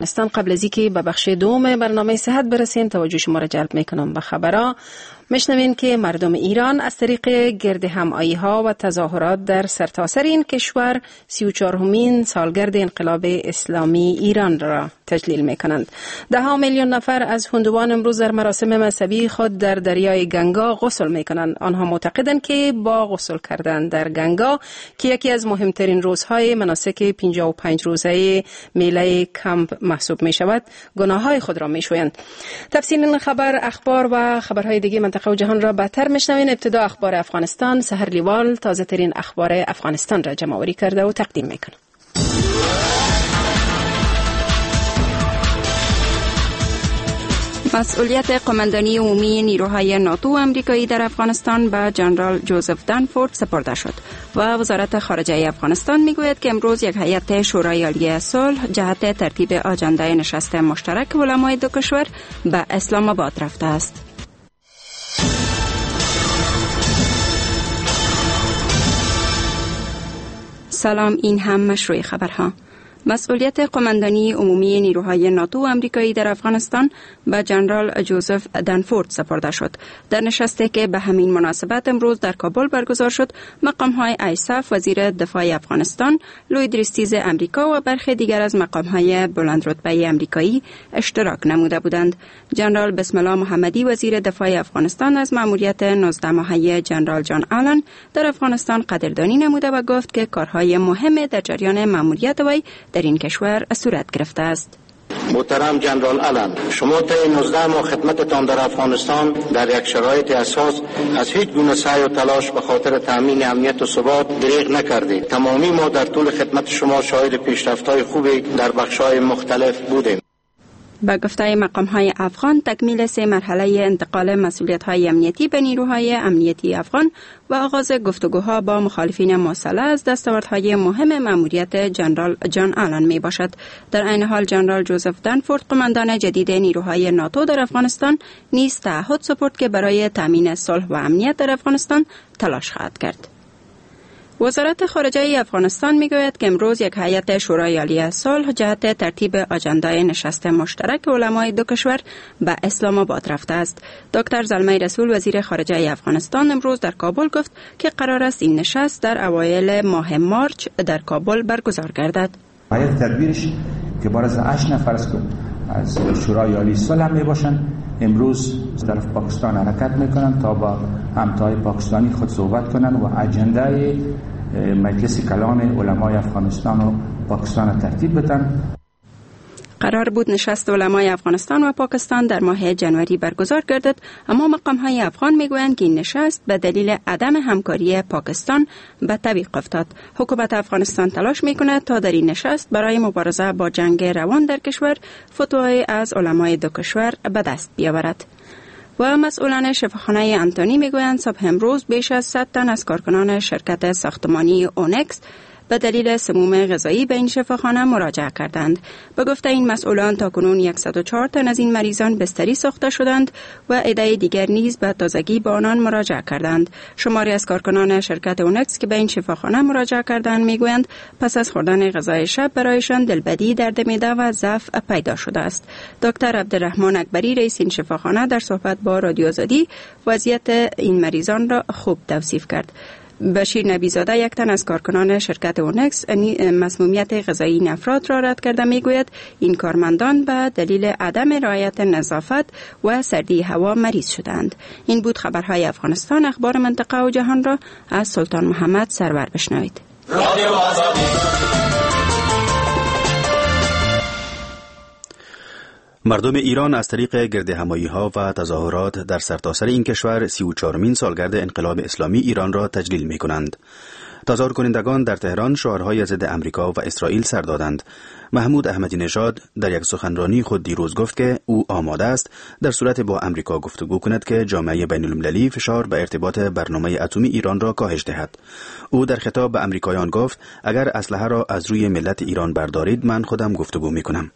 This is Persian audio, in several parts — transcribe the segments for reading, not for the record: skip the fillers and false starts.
قبل از اینکه به بخش دوم برنامه صحت برسیم، توجه شما را جلب میکنم به خبرها. میشنوین که مردم ایران از طریق گرد همایی ها و تظاهرات در سرتاسر این کشور 34مین سالگرد انقلاب اسلامی ایران را تجلیل میکنند. 10 میلیون نفر از هندوان امروز در مراسم مذهبی خود در دریای گنگا غسل میکنند. آنها معتقدند که با غسل کردن در گنگا که یکی از مهمترین روزهای مناسک 55 روزه میله کمپ محسوب می شود، گناههای خود را می شویند. تفصیل این خبر، اخبار و خبرهای دیگه منطقه و جهان را بهتر میشنوین. ابتدا اخبار افغانستان. سحر لیوال تازه ترین اخبار افغانستان را جمع آوری کرده و تقدیم میکنه. مسئولیت قماندانی عمومی نیروهای ناتو و امریکایی در افغانستان به جنرال جوزف دانفورد سپرده شد و وزارت خارجه افغانستان میگوید که امروز یک هیئت شورای عالی صلح جهت ترتیب آجنده نشست مشترک علمای دو کشور به اسلام آباد رفته است. سلام، این هم مشروع خبرها. مسئولیت قماندانی عمومی نیروهای ناتو و امریکایی در افغانستان به جنرال جوزف دانفورد سپرده شد. در نشستی که به همین مناسبت امروز در کابل برگزار شد، مقام‌های ایساف، وزیر دفاع افغانستان، لوی درستیز امریکا و برخی دیگر از مقام‌های بلند رتبه امریکایی اشتراک نموده بودند. جنرال بسم الله محمدی، وزیر دفاع افغانستان، از مأموریت 19 ماهه جنرال جان آلن در افغانستان قدردانی نموده و گفت که کارهای مهم در جریان مأموریت وی در این کشور صورت گرفته است. محترم جنرال آلن، شما طی 19 ماه خدمتتان در افغانستان در یک شرایط اساس از هیچ گونه سعی و تلاش به خاطر تامین امنیت و ثبات دریغ نکردید. تمامی ما در طول خدمت شما شاهد پیشرفت‌های خوبی در بخش‌های مختلف بودیم. به گفته مقام‌های افغان، تکمیل 3 مرحله انتقال مسئولیت‌های امنیتی به نیروهای امنیتی افغان و آغاز گفتگوها با مخالفین مسلح از دستاوردهای مهم مأموریت جنرال جان آلن می باشد. در عین حال جنرال جوزف دانفورد، قماندان جدید نیروهای ناتو در افغانستان، نیز تعهد سپرد که برای تامین صلح و امنیت در افغانستان تلاش خواهد کرد. وزارت خارجه افغانستان میگوید که امروز یک هیئت شورای عالی صلح جهت ترتیب آجندای نشست مشترک علمای دو کشور به اسلام آباد رفته است. دکتر زلمی رسول، وزیر خارجه افغانستان، امروز در کابل گفت که قرار است این نشست در اوایل ماه مارچ در کابل برگزار گردد. هیئت تدبیرش که بار از 8 نفر است از شورای عالی صلح می باشند، امروز از طرف پاکستان حرکت میکنن تا با همتای پاکستانی خود صحبت کنن و اجندای مجلس کلان علمای افغانستان و پاکستان ترتیب بدن. قرار بود نشست علمای افغانستان و پاکستان در ماه جنوری برگزار گردد، اما مقام‌های افغان میگویند که این نشست به دلیل عدم همکاری پاکستان به تعویق افتاد. حکومت افغانستان تلاش میکند تا در این نشست برای مبارزه با جنگ روان در کشور فتوای از علمای دو کشور به دست بیاورد. و مسئولان شفاخانه انتونی میگویند صبح امروز بیش از 100 تن از کارکنان شرکت ساختمانی اونکس به دلیل سموم غذایی به این شفاخانه مراجعه کردند. به گفته این مسئولان تاکنون 104 تن از این مریضان بستری ساخته شدند و عده دیگر نیز به تازگی به آنان مراجعه کردند. شماری از کارکنان شرکت اونکس که به این شفاخانه مراجعه کردند میگویند پس از خوردن غذای شب برایشان دلبدی، درد معده و ضعف پیدا شده است. دکتر عبدالرحمن اکبری، رئیس این شفاخانه، در صحبت با رادیو آزادی وضعیت این مریضان را خوب توصیف کرد. بشیر نبیزاده، یک تن از کارکنان شرکت اونکس، مسمومیت غذایی این افراد را رد کرده میگوید این کارمندان به دلیل عدم رعایت نظافت و سردی هوا مریض شدند. این بود خبرهای افغانستان. اخبار منطقه و جهان را از سلطان محمد سرور بشنوید. مردم ایران از طریق گردهمایی‌ها و تظاهرات در سرتاسر این کشور 34مین سالگرد انقلاب اسلامی ایران را تجلیل می‌کنند. تظاهر کنندگان در تهران شعارهای ضد امریکا و اسرائیل سر دادند. محمود احمدی نژاد در یک سخنرانی خود دیروز گفت که او آماده است در صورت با امریکا گفتگو کند که جامعه بین المللی فشار به ارتباط برنامه اتمی ایران را کاهش دهد. او در خطاب به امریکایان گفت اگر اسلحه را از روی ملت ایران بردارید من خودم گفتگو می‌کنم.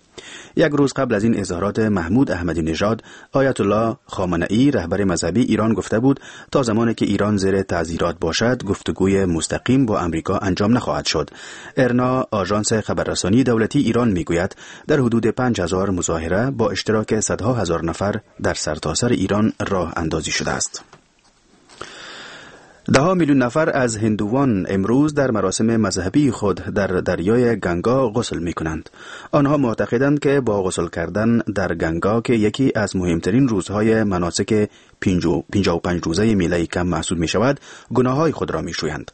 یک روز قبل از این اظهارات محمود احمدی نژاد، آیت الله خامنه‌ای رهبر مذهبی ایران گفته بود تا زمانی که ایران زیر تعزیرات باشد گفتگوی مستقیم با امریکا انجام نخواهد شد. ارنا، آژانس خبررسانی دولتی ایران میگوید در حدود 5000 مظاهره با اشتراک صدها هزار نفر در سرتاسر ایران راه اندازی شده است. 10 میلیون نفر از هندوان امروز در مراسم مذهبی خود در دریای گنگا غسل می کنند. آنها معتقدند که با غسل کردن در گنگا که یکی از مهمترین روزهای مناسک 55 روزه میله کم محسوب می شود، گناههای خود را می شویند.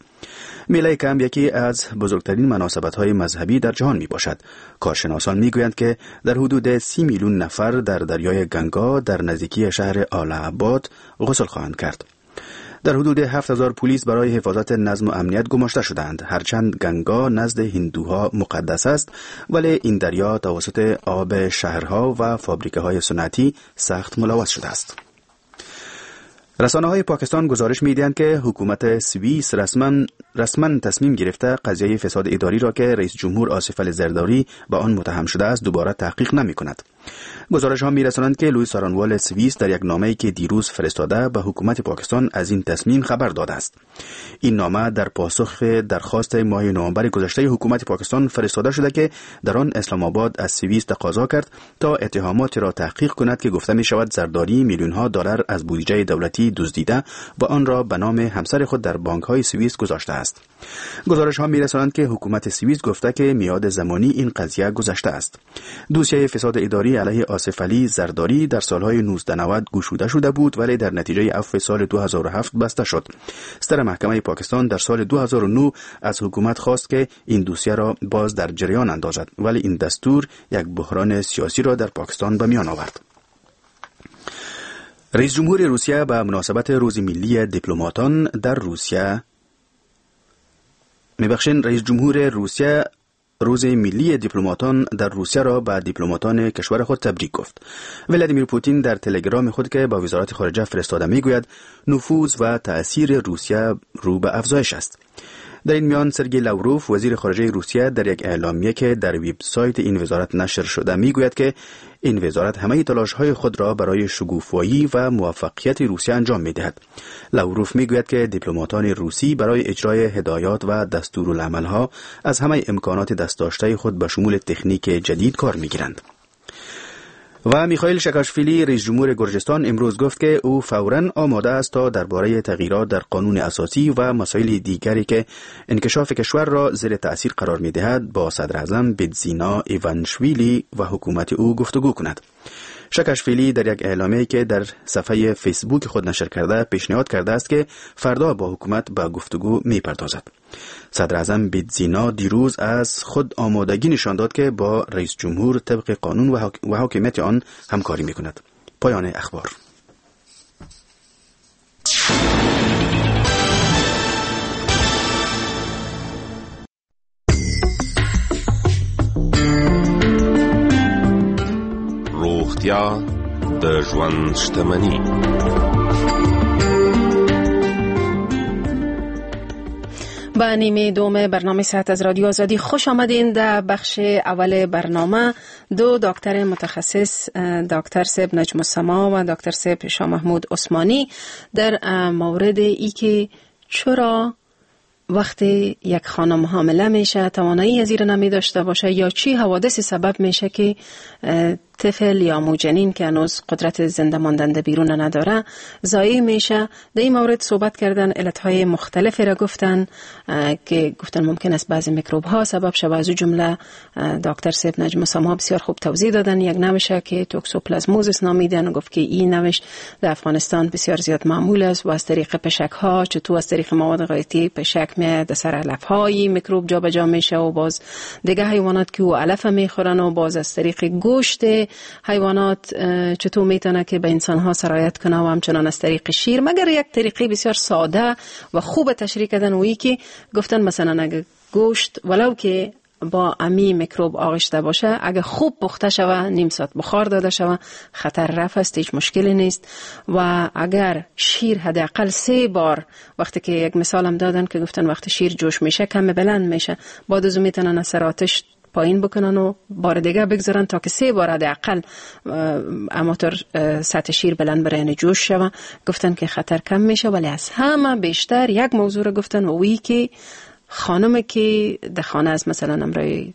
میله کم یکی از بزرگترین مناسبت‌های مذهبی در جهان می باشد. کارشناسان می گویند که در حدود 30 میلیون نفر در دریای گنگا در نزدیکی شهر آله آباد غسل خواهند کرد. در حدود 7000 پلیس برای حفاظت نظم و امنیت گماشته شدند. هرچند گنگا نزد هندوها مقدس است، ولی این دریا توسط آب شهرها و فابریکه های صنعتی سخت ملوث شده است. رسانه های پاکستان گزارش میدهند که حکومت سوئیس رسما تصمیم گرفته قضیه فساد اداری را که رئیس جمهور آصف علی زرداری به آن متهم شده است دوباره تحقیق نمی کند. گزارش ها می رسانند که لوی سارنوال سوئیس در یک نامه‌ای که دیروز فرستاده به حکومت پاکستان از این تصمیم خبر داده است. این نامه در پاسخ درخواست ماه نوامبر گذشته حکومت پاکستان فرستاده شده که در آن اسلام آباد از سوئیس تقاضا کرد تا اتهامات را تحقیق کند که گفته می شود زرداری میلیون ها دلار از بودجه دولتی دزدیده و آن را به نام همسر خود در بانک های سوئیس گذاشته است. گزارش ها می رسانند که حکومت سوئیس گفته که میعاد زمانی این قضیه گذشته است. دوسیه فساد اداری علیه آصف علی زرداری در سالهای 1990 گشوده شده بود، ولی در نتیجه عفو سال 2007 بسته شد. ستر محکمه پاکستان در سال 2009 از حکومت خواست که این دوسیه را باز در جریان اندازد، ولی این دستور یک بحران سیاسی را در پاکستان به میان آورد. رئیس جمهور روسیه به مناسبت روز ملی دیپلماتان در روسیه میبخشین رئیس جمهور روسیه روز ملی دیپلماتان در روسیه را به دیپلماتان کشور خود تبریک گفت. ولادیمیر پوتین در تلگرام خود که با وزارت خارجه فرستاده میگوید نفوذ و تأثیر روسیه رو به افزایش است. در این میان سرگی لاوروف وزیر خارجه روسیه در یک اعلامیه که در وبسایت این وزارت نشر شده میگوید که این وزارت همه تلاش‌های خود را برای شگوفایی و موفقیت روسیه انجام می‌دهد. لاوروف میگوید که دیپلماتان روسی برای اجرای هدایات و دستورالعمل‌ها از همه امکانات دست داشته خود به شمول تکنیک جدید کار می‌گیرند. و میخائیل شکاشویلی رئیس جمهور گرجستان امروز گفت که او فوراً آماده است تا درباره تغییرات در قانون اساسی و مسائل دیگری که انکشاف کشور را زیر تأثیر قرار می‌دهد با صدر اعظم بیدزینا ایوانشویلی و حکومت او گفتگو کند. شکاشویلی در یک اعلامیه که در صفحه فیسبوک خود نشر کرده پیشنهاد کرده است که فردا با حکومت به گفتگو می‌پردازد. صدر اعظم بیدزینا دیروز از خود آمادگی نشان داد که با رئیس جمهور طبق قانون و حاکمیت آن همکاری می‌کند. پایان اخبار. روغتیا د ژوند شتمني. به نیمه دوم برنامه صحت از رادیو آزادی خوش آمدین. در بخش اول برنامه دو دکتر متخصص، دکتر صاحب نجم السما و دکتر صاحب شاه محمود عثمانی، در مورد ای که چرا وقتی یک خانم حامله میشه توانایی از این نمی داشته باشه یا چی حوادث سبب میشه که طفل یا موجنین که هنوز قدرت زنده ماندن بیرون نداره ضایع میشه. در این مورد صحبت کردن، علتهای مختلفی را گفتن که گفتن ممکن است بعضی میکروب ها سبب شود. از جمله دکتر صاحب نجم السما بسیار خوب توضیح دادن. یک نوشه که توکسوپلازموزس نامیدن، گفت که این نوش در افغانستان بسیار زیاد معمول است و از طریق پشک ها، چطور از طریق مواد غذایی پشک می در سر علف های میکروب جابجا میشه و باز دیگه حیوانات که او علف میخورن و باز از طریق گوشت حیوانات چطور میتونه که به انسان ها سرایت کنه و همچنان از طریق شیر. مگر یک طریقه بسیار ساده و خوب تشریح کردن و ای که گفتن مثلا اگه گوشت ولو که با امی میکروب آغشته باشه، اگه خوب پخته شوه، نیم ساعت بخار داده شوه، خطر رفع است، هیچ مشکلی نیست. و اگر شیر حداقل 3 بار، وقتی که یک مثال هم دادن که گفتن وقتی شیر جوش میشه کم بلند میشه، بعد از اون میتونن از سر آتش پایین بکنن و بار دیگه بگذارن تا که 3 بار حداقل اماتور سطح شیر بلند بره، یعنی جوش شوه. گفتن که خطر کم میشه. ولی از همه بیشتر یک موضوع رو گفتن و اویی که خانم که در خانه است، مثلا امرای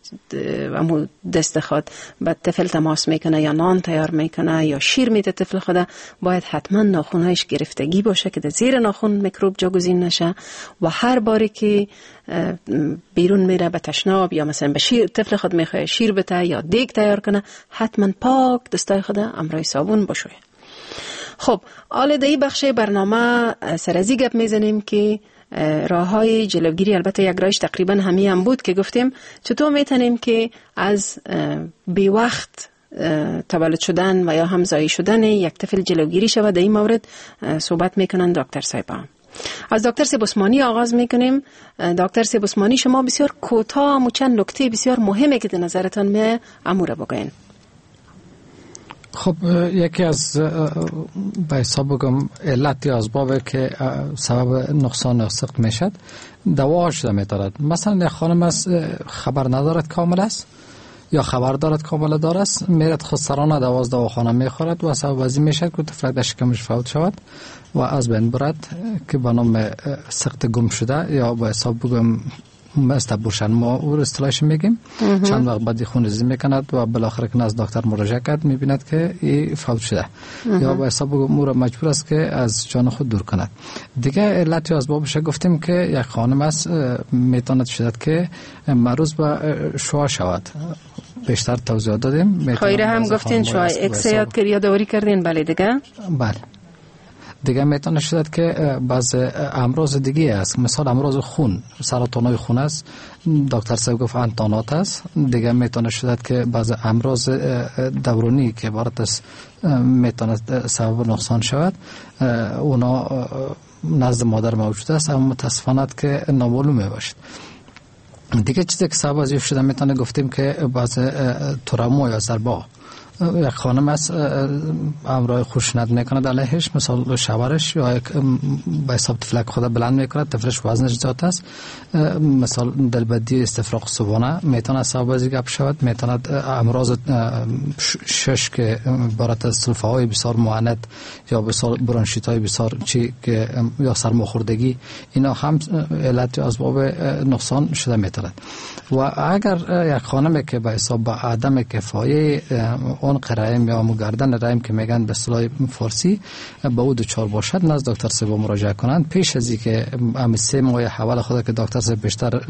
امو دست خود به طفل تماس میکنه یا نان تیار میکنه یا شیر میده طفل خود، باید حتما ناخونهایش گرفتگی باشه که در زیر ناخون میکروب جاگزین نشه. و هر باری که بیرون میره به تشناب یا مثلا به شیر طفل خود میخواد شیر بده یا دیگ تیار کنه، حتما پاک دستای خود امرای صابون بشویه. خب حالا در این بخش برنامه سرازی گپ میزنیم که راه های جلوگیری، البته یک راهش تقریبا همی هم بود که گفتیم چطور میتونیم که از بی وقت تولد شدن و یا هم زایی شدن یک طفل جلوگیری شود. در این مورد صحبت میکنن دکتر صاحبان. از دکتر صاحب عثمانی آغاز میکنیم. دکتر صاحب عثمانی، شما بسیار کوتاه و چند نکته بسیار مهمه که در نظرتان می امور بگوین. خب یکی از به حساب بگم علت یا اسباب که سبب نقصان سقط میشد دوا شده میتارد. مثلا یک خانم است خبر ندارد کامل است یا خبر دارد کامل دار است، میرد خودسرانه دوا از دواخانه میخورد و سبب از این میشد که طفلک در شکمش فوت شود و از بین برد که به نام سقط گم شده یا به حساب بگم استبورشن ما او اصطلاحش میگیم. چند وقت بعد خونریزی میکند و بالاخره که نزد دکتر مراجعه کرد میبیند که این فوت شده یا به حساب او را مجبور است که از جان خود دور کند. دیگه علت یا اسبابش گفتیم که یک خانم است میتواند شدد که معروض به شعاع شود، بیشتر توضیح دادیم. خیره هم گفتین شعاع اکس یاد کرد یادآوری کردین. بله دیگه، بله دیگه میتونه شد که بعض امراض دیگه است، مثال امراض خون، سرطان خون است، دکتر صاحب گفت انتانات است. دیگه میتونه شد که بعض امراض دورانی که عبارت است میتونه سبب نقصان شود، اونا نزد مادر موجود است اما متاسفانه که نامعلوم باشد. دیگه چیزی که سبب از شده میتونه گفتیم که بعض تروما یا ضربه، یک خانم است امرای خشونت میکند علیهش، مثال شوهرش یا یک به حساب طفلک خود بلند میکند، طفلش وزنش زیاد است، مثال دلبدی استفراغ صبحانه میتونه سبب از گپ شود. میتونه امراض شش که عبارت از سلفه های بسیار معند یا بسیار برانشیت های بسیار چی که یا سرماخوردگی، اینا هم علت یا اسباب نقصان شده میتونه. و اگر یک خانم که به حساب عدم کفایه اون قرائم یا مگردن رحم که میگن به اصطلاح فارسی به او دچار باشد، نزد دکتر صاحب مراجعه کنند پیش از اینکه هم 3 ماه اول خود که دکتر صاحب بیشتر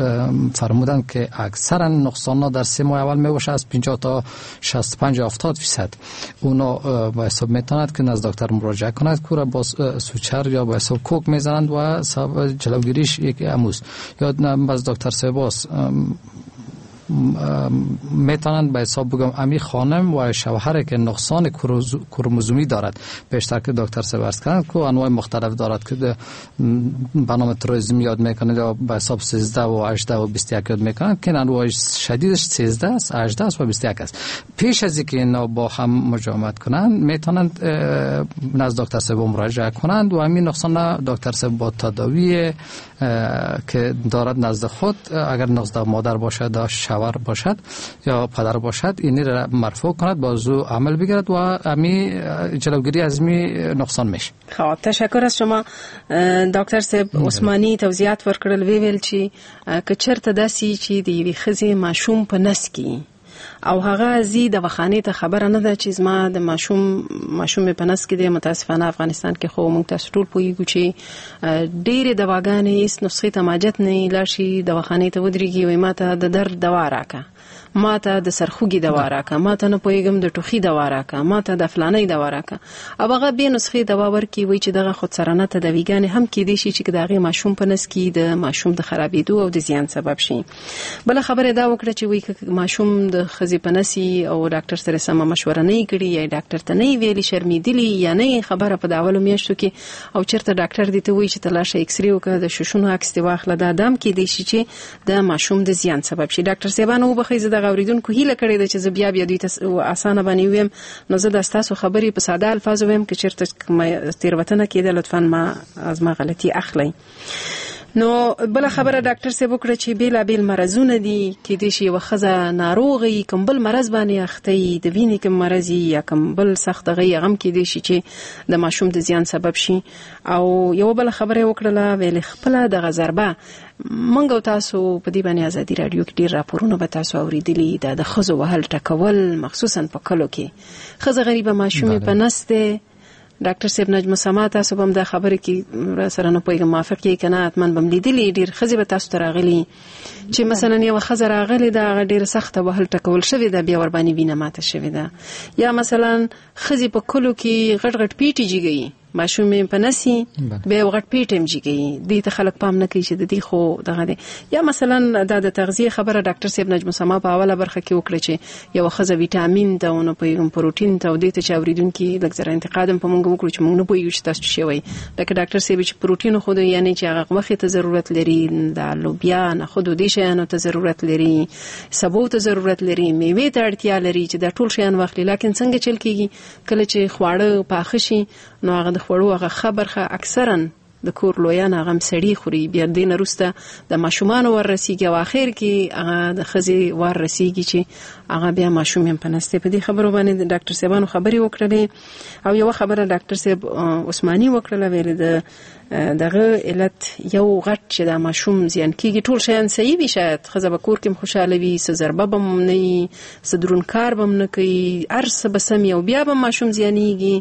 فرمودن که اکثرا نقصان در 3 ماه اول میباشه، از 50 تا 65 70% اونا به حساب میتوند که نزد دکتر مراجعه کند که را با سوچر یا به حساب کوک میزنند و سبب جلوگیریش یک اموز یا باز دکتر صاحب میتونند به حساب بگم امی خانم و شوهر که نقصان کروموزومی دارد، بیشتر که دکتر صاحب عرض کردند که انواع مختلف دارد که به نام ترویزم یاد میکنند یا به حساب 13 و 18 و 21 یاد میکنند که انواع شدیدش 13 است، 18 است و 21 است. پیش از اینکه اینا با هم مجامعت کنند میتونند نزد دکتر صاحب مراجعه کنند و همین نقصان دکتر صاحب با تداوی که دارد نزد خود، اگر نزد مادر باشد یا شوهر باشد یا پدر باشد، اینی را مرفوع کند، بازو عمل بگیرد و امی جلوگیری از می نقصان میشه. خب تشکر از شما دکتر صاحب عثماني. توضیحات ورکړل، وی ویل چې که چرته داسې چې د یوې ښځې ماشوم په نس کې او هغه زی د وخانې ته خبره نه ده چې زما د ماشوم په نس کې دی. متاسفانه افغانستان کې خو موږ تاسو ټول پوهیږو چې ډېرې دواګانې هیڅ نسخې ته ماجت نه لاړ شي، دواخانې ته ودرېږي وایي ماته د درد دوا راکه، ماته د سرخوږي دوا راکه، ماته نه پوهېږم د ټوخي دوا راکه، ماته د فلانۍ دوا راکه، او هغه بې نسخې دوا ورکړي. وایي چې دغه خودسرانه تداویګانې هم کېدای شي چې د هغې ماشوم په نس کې د ماشوم د خرابېدو او د زیان سبب شي. بله خبره دا وکړه چې وایي که ماشوم د ښځې په نس او ډاکټر سره سمه مشوره نه یې کړې یا ډاکټر ته نه یې ویلي، شرمېدلي یا نه یې خبره په د اولو میاشتو کې، او چېرته ډاکټر دې ته وایي چې ته لاړ شه اکسرې وکړه، د ششونو عکس دې واخله، دا دام کېدای شي چې د ماشوم د زیان سبب شي. ډاکټر صاحبان وبخښئ، زه دغه اوریدونکو هیله کړې ده چې زه بیا بیا دوی ته اسانه باندې ویم، نو زه د ستاسو خبرې په ساده الفاظو ویم، که چېرته کومه تېروتنه کېده لطفاً ما از ما غلطي اخلئ. نو بل خبره ډاکټر صاحب وکړه چې بیلابیل مرزونه دي، کې دې شي یو خزه ناروغي کوم بل مرض باندې اخته وي، د وینې کوم مرض یا کوم بل سخت غي غم کې دې شي چې د ماشوم د زیان سبب شي. او یو بل خبره وکړه ویل خپل دغه ضربه مونږ او تاسو په دې باندې ازادي رادیو کې ډیر راپورونه به تاسو اوریدلي، دا د خزو وهل ټکول مخصوصا په کلو کې خزه غریبه ماشومې په نسته. ډاکټر صاحب نجم سما تاسو به هم دا خبرې کې را سره نه پوهېږم موافق یې که نه، حتما به هم لیدلي ډېر ښځې به تاسو ته راغلي چې مثلا یوه ښځه راغلې ده، هغه ډېره سخته وهل ټکول شوې ده، بیا ورباندې وینه ماته شوې ده. یا مثلا ښځې په کلو کې غټ غټ پیټي جګوي، ماشوم یې په نسي بیا یو غټ پیټ هم جګوي، دې ته خلک پام نه کوي چې د دې خو دغه دی. یا مثلا دا د تغذیې خبره ډاکټر صاحب نجم سما په اوله برخه کې وکړه چې یوه ښځه ویټامین ته او نه پوهېږم پروټین ته او دې ته چې اورېدونکي لږ ذره انتقاد هم په موږ وکړو چې موږ نه پوهېږو چې تاسو څه وایي. لکه ډاکټر صاحب چې پروټین خو دی، یعنې چې هغه غوښې ته ضرورت لري، د لوبیا نخودو دې شیانو ته ضرورت لري، سبو ته ضرورت لري، میوې ته اړتیا لري چې دا ټول شیان واخلي. لکن څنګه چل کېږي کله چې خواړه پاخه شي نو هغه د خوړو هغه ښه برخه اکثرا د کور لویان هغه هم سړي خوري، بیا دې نه وروسته د ماشومانو ور رسیږي او آخر کې هغه د ښځې ور رسیږي چې هغه بیا ماشوم هم په نس دی. په دې خبرو باندې د ډاکټر صاحبانو خبرې وکړلې. او یوه خبره ډاکټر صاحب عثماني وکړله، ویلې د دغه علت یو غټ چې دا ماشوم زیان کیږي، ټول شیان صحیح وي، شاید ښځه به کور کې هم خوشحاله وي، څه ضربه به هم نه وي، څه درون کار به هم نه کوي، هر څه به سم وي او بیا به ماشوم زیانیږي.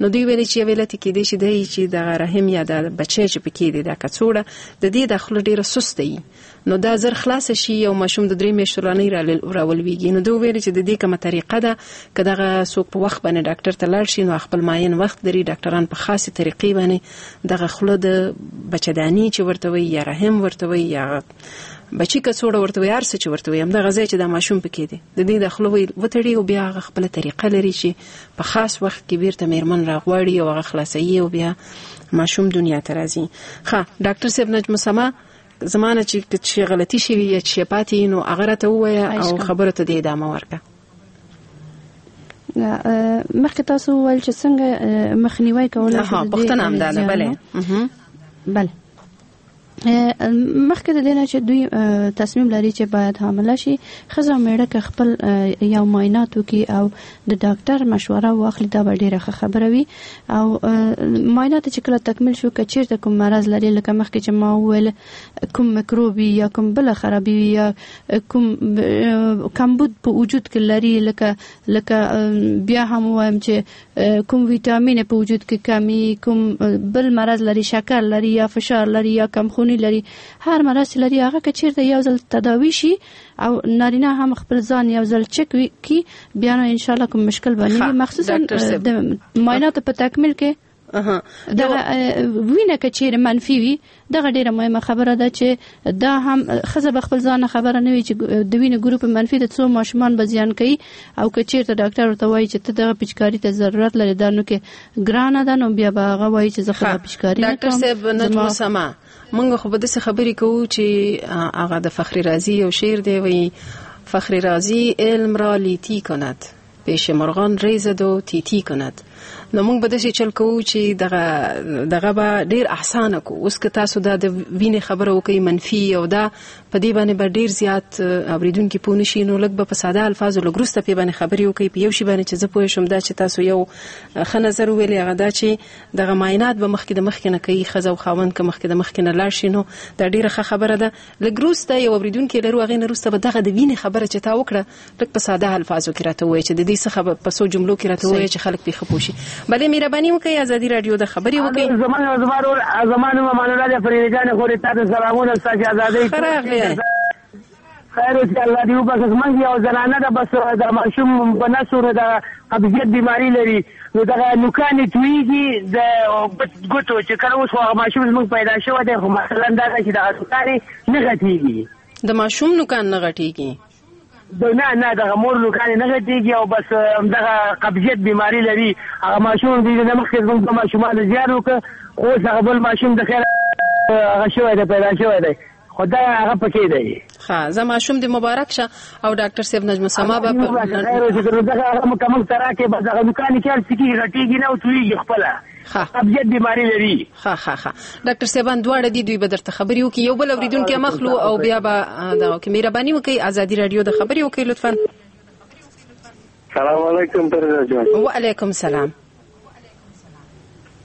نو دوی ویلي چې یو علت یې کېدای شي دی چې دغه رحم یا دا بچی چې پکې دی، دا کڅوړه د دې دا خوله ډېره سسته وي، نو دا زر خلاصه شي او ماشوم د 3 میاشتو لا نه راولویږي. نو دوی ویلي چې د دې کومه طریقه ده که دغه څوک په وخت باندې ډاکټر ته لاړ شي نو خپل معین وخت لري، ډاکټران په خاصې طریقې باندې دغه خوله د بچداني چې ورته وایي یا رحم ورته وایي یا بچی کڅوړه ورته وایي، هر څه چې ورته وایي، همدغه ځای چې دا ماشوم پکې دی د دې د خوله وتړي او بیا هغه خپله طریقه لري چې په خاص وخت کې بیرته میرمن راغواړي او هغه خلاصوي او بیا ماشوم دنیا ته راځي. ښه ډاکټر صاحب نجم سما، زمانه چې غلطي شوي یا چې پاتې نو هغه راته ووایه او خبرو ته دې ادامه ورکړه. مخکې تاسو وویل چې څنګه مخنیوی کولی شو. پوښتنه همدا ده. بله بله مخکې د دې نه چې دوی تصمیم لري چې باید حامله شي، ښځه او مېړه که خپل یو معاینات وکړي او د ډاکټر مشوره واخلي دا به ډېره ښه خبره وي. او معاینات چې کله تکمیل شو، که چیرته کوم مرض لري، لکه مخکې چې ما وویل کوم میکروب وي یا کوم بله خرابي وي یا کوم کمبود په وجود کې لري، لکه بیا هم ووایم چې کوم ویټامین په وجود کې کمی، کوم بل مرض لري، شکر لري یا فشار لري یا کمخوني لري، هر مرض چې لري هغه که چیرته یو ځل تداوي شي او نارینه هم خپل ځان یو ځل چک کړي، بیا نو ان شاء الله کوم مشکل به نه وي. مخصوصا د معایناتو په تکمیل کې دغه وینه که چیرې منفي وي، دغه ډیره مهمه خبره ده چې دا هم ښځه به خپل ځان خبره نه وي چې د وینې ګروپ منفي د څو ماشومان به زیان کوي، او که چیرته ډاکټر ورته وایي چې ته دغه پیچکاري ته ضرورت لرې، دا نو کې ګرانه ده، نو بیا به هغه وایي چې زه خو دا پیچکاري نه کوم. ډاکټر صاحب نجم سما، موږ خو به داسې خبرې کوو چې هغه د فخر رازي یو شعر دی، وایي فخر رازي علم را لیتی کند، پیش مرغان ریزد و تیتی کند. نو موږ به داسې چل کوو چې دغه به ډېر اسانه کو. اوس که تاسو دا د وینې خبره وکړئ منفي او دا په دې باندې به ډېر زیات اورېدونکي پوه نه شي، نو لږ به په ساده الفاظو لږ وروسته پې باندې خبرې وکړئ. په یو شي باندې چې زه پوه شم دا چې تاسو یو ښه نظر وویلې، هغه دا چې دغه معاینات به مخکې د مخکې نه کوي ښځه او خاوند، که مخکې د مخکې نه لاړ شي نو دا ډېره ښه خبره ده. لږ وروسته یو اورېدونکی لرو، هغې نه وروسته به دغه د وینې خبره چې تا وکړه لږ په ساده الفاظو کې راته ووایه چې د دې څه په څو جملو کې راته ووایه چې خلک پرې ښه پوه شي. بله مهرباني وکړئ ازادي راډیو د خبرې وکړئ. زما نوم امان الله دی، فریده جانې خورې تاته سلامونه، ستاسې ازادۍ ښه راغلې. خیر اوسې، الله دې وبخښي. زموږ یو زنانه ده، بس د ماشوم په نسو نو د قبضیت بیماري لري، نو دغه نوکان یې تویږي د ګوتو، چې کله اوس خو هغه ماشوم زموږ پیدا شوی دی، خو مثلا دا ده چې دغه نوکان یې نه غټېږي. د ماشوم نوکان نه غټېږي؟ نه نه، دغه مور نوکان یې نه غټېږي او بس دغه قبضیت بیماري لري. هغه ماشوم دې نه مخکې زموږ دوه ماشومانو زیار وکړ، خو اوس هغه بل ماشوم د خیره هغه شوی دی، پیدا شوی دی، خو دا هغه پکې دی. ښه زه ماشوم دې مبارک شه او ډاکټر صاحب نجم السما به دغه هغه مکمل سره کې بس هغه دکان کې هر څه کېږي، غټېږي نه او تویږي خپله. ښه قبضیت بیماری لري. ښه ښه ښه ډاکټر صاحبان دواړه دي، دوی به درته خبرې وکړي. یو بل اوریدونکی هم اخلو او بیا به دا وکړي. مهرباني وکړئ ازادي راډیو د خبرې وکړئ لطفا. سلام علیکم پرزا جان. وعلیکم سلام.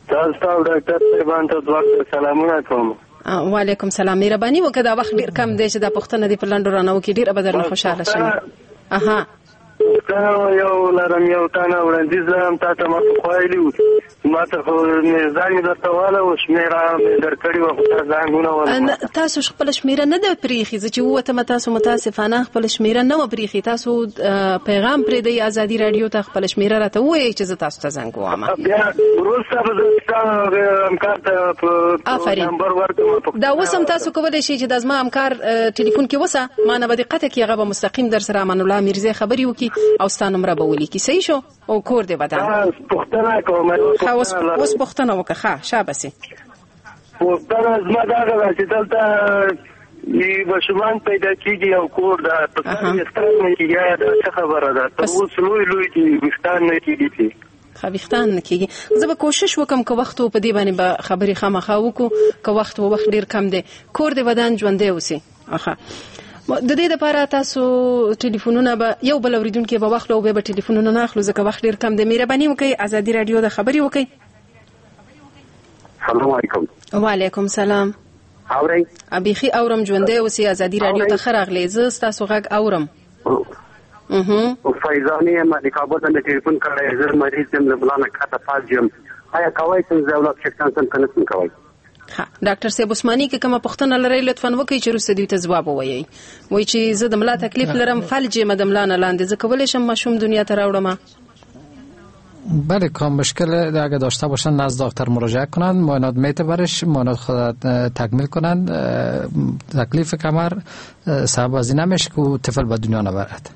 تاسو ته او ډاکټر صاحبان ته دواړو سلامونه کوم. وعلیکم سلام. مهرباني وکړه، دا وخت ډیر کم دی چې دا پوښتنه دې په لنډو رانه وکړي، ډیره به درنه خوشحاله شم. اها پوښتنه یو لرم، یو تنه وړاندیز لرم. تا ته ما پخوا ویلي وو، ما ته خو ځان مې درته واله، شمېره مې درکړې وه، خو تا زنګ ونه وهلو. تاسو خپله شمېره نه ده پرېښې، زه چې ووتم تاسو متاسفانه خپله شمېره نه وه پرېښې. تاسو پیغام پرېږدئ ازادي راډیو ته، خپله شمېره راته ووایئ چې زه تاسو ته زنګ ووایم. بیا وروسته به زه ستا همکار ته آفرین نمبر ورکړم. دا اوس هم تاسو کولی شئ چې دا زما همکار ټلیفون کې وسه، ما نه به دې قطع کړي، هغه به مستقیم در سره امان الله امیرزی خبرې وکړي او ستا نمره به ولیکي. صحیح شو؟ او کور دې ودان. پوښتنه کوم. ښه اوس پوښتنه وکړه. ښه شابسې. پوښتنه زما دغه ده چې دلته ماشومان پیدا کېږي او کور ده، په سر ویښتان نه کېږي، ایا دا څه خبره ده؟ تر اوس لوی لوی دي، ویښتان نه کېږي. چې ښه ویښتان نه کېږي. زه به کوشش وکم که وخت و په دې باندې به خبرې خامخا وکړو، که وخت و، وخت ډېر کم دی. کور دې ودان، ژوندی اوسې. ښه د دې لپاره تاسو ټلیفونونه به یو بل اوریدونکي به واخلو او بیا به ټلیفونونه نه اخلو ځکه وخت ډېر کم دی. مهرباني وکړئ ازادي راډیو د خبرې وکړئ. سلام علیکم. وعلیکم سلام. اورئ؟ بیخي اورم، ژوندی اوسې. ازادي راډیو ته ښه راغلې، زه ستاسو غږ اورم. فیضاني یم، د کابل نه مې ټلیفون کړی، زه مریض یم، له ملا نه کښته فلج یم. ایا کوای شم زه اولاد څښتن شم که نه شم کوای؟ ښه ډاکټر صاحب عثماني که کومه پوښتنه لرئ لطفا وکړئ چې وروسته دوی ته ځواب ووایئ. وایي چې زه د ملا تکلیف لرم، فلج یم د ملا نه لاندې، زه کولی شم ماشوم دنیا ته راوړم؟ بله، کام مشکل اگه داشته باشن نزد دکتر مراجعه کنند، معاینات میته برش، معاینات خود تکمیل کنند. تکلیف کمر سبب از این نمیشه که طفل به دنیا نبرد.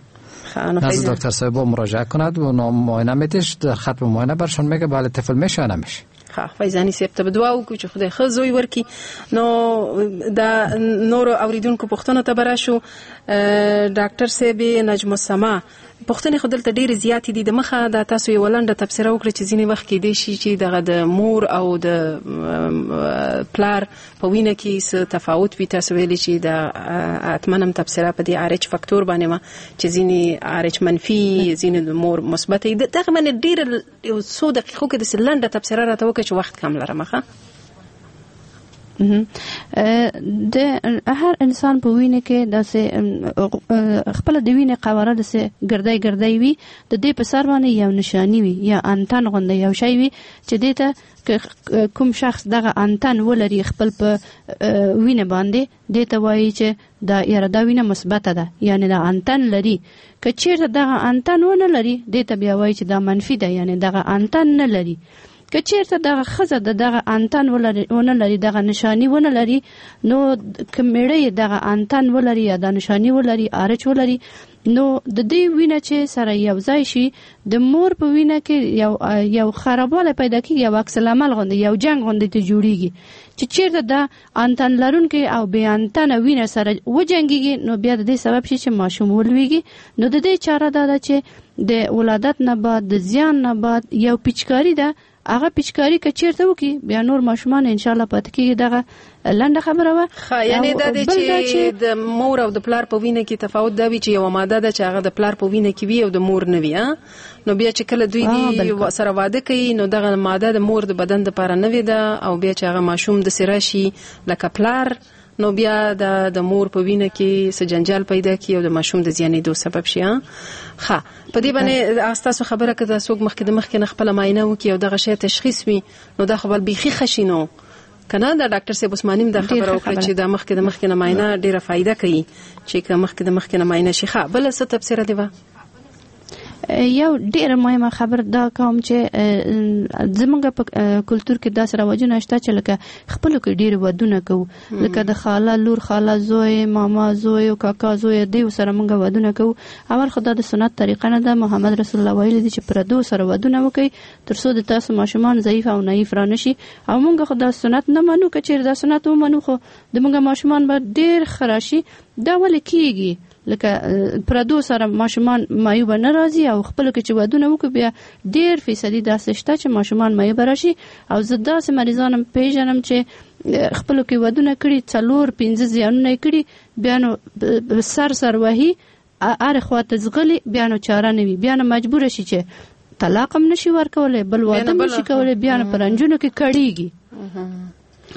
نزد دکتر صاحب مراجعه کند و معاینه میتش، در خط معاینه برشون میگه بله طفل میشه یا نمیشه. ښه فیضاني صاحب ته به دعا وکړو چې خدای ښه زوی ورکړي. نو دا نورو اوریدونکو پوښتنو ته به راشو. ډاکټر صاحب نجم السما، پوښتنې خو دلته ډېرې زیاتې دي. د مخه دا تاسو یوه لنډه تبصره وکړه چې ځینې وخت کېدای شي چې دغه د مور او د پلار په وینه کې څه تفاوت وي. تاسو ویلي چې دا حتما هم تبصره په دې آر اچ فاکتور باندې وه چې ځینې آر اچ منفي، ځینې د مور مثبت وي. دغه باندې ډېره یو څو دقیقو کې داسې لنډه تبصره راته وکړه چې وخت کم لرم. ښه د هر انسان په وینه کې داسې خپل د وینې قواره داسې ګردی ګردی وي، د دې په سر باندې یو نشانی وي یا انتن غوندې یو شی وي چې دې ته کوم شخص دغه انتن ولري خپل په وینه باندې، دې ته وایي چې دا یاره دا وینه مثبته ده، یعنی دا انتن لري. که چیرته دغه انتن ونه لري، دې ته بیا وایي چې دا منفي ده، یعنی دغه انتن نه لري. که چیرته دغه ښځه د دغه انتن ونه لري، دغه نشانی ونه لري، نو که میړه یې دغه انتن ولري یا دا نشانی ولري، آرچ ولري، نو د دې وینه چې سره یو ځای شي د مور په وینه کې یو خرابوالی پیدا کیږي، یو عکس العمل غوندې، یو جنګ غوندې ته جوړیږي چې چیرته د انتن لرونکي او بې انتنه وینه سره وجنګیږي، نو بیا د دې سبب شي چې ماشوم ولویږي. نو د دې چاره دا ده چې د ولادت نه بعد، د زیان نه بعد یو پیچکاري ده، هغه پیچکاري که چیرته وکړي بیا نور ماشومان ان شاء الله پاتې کیږي. دغه لنډه خبره وه. ښه، یعنی دا دی چې د مور او د پلار په وینه کې تفاوت دا وي چې یوه ماده ده چې هغه د پلار په وینه کې وي او د مور نه وي. نو بیا چې کله دوی دي سره واده کوي نو دغه ماده د مور د بدن دپاره نوې ده، او بیا چې هغه ماشوم داسې راشي لکه پلار، نو بیا د مور په وینه کې څه جنجال پیدا کړي او د ماشوم د زیانېدو سبب شي. ښه، په دې باندې ستاسو خبره که دا څوک مخکې د مخکې نه خپله معاینه وکړي او دغه شی تشخیص وي نو دا خو بل بیخي ښه شي. نو که نه، دا ډاکټر صاحب عثماني هم دا خبره وکړه چې دا مخکې د مخکې نه معاینه ډېره فایده کوي چې که مخکې د مخکې نه معاینه شي. ښه، بله څه تبصره دې وه؟ یو ډیره مهمه خبر دا کوم چې زمونږ په کلتور کې داسې رواجونه شته چې لکه خپلو کې ډیر ودونه کوو، لکه د خاله لور، خاله زوی، ماما زوی او کاکا زوی، دیو سره مونږ ودونه کوو. اول خو دا د سنت طریقه نه ده. محمد رسول الله ویلي دي چې پردو سره ودونه وکړئ تر څو د تاسو ماشومان ضعیف او نایف را نشي. او مونږ خو دا سنت نه منو، که چیرې دا سنت ومنو خو د مونږ ماشومان به ډیر ښه راشي. دا ولې کیږي؟ لکه پردو سره ماشومان معیوب نه راځي او خپل کې چې ودونه وکړي بیا ډیر فیصدي داسې شته چې ماشومان معیوب راشي. او زه داسې مریضان هم پیژنم چې خپلو کې ودونه کړي، 4-5 زیانونه یې کړي، بیا نو سر سر وهي، هرې خوا ته ځغلي، بیا نو چاره نه وي، بیا نو مجبوره شي چې طلاق هم نشي ورکولی، بل واده هم نشي کولی، بیا نو په رنجونو کې کړیږي.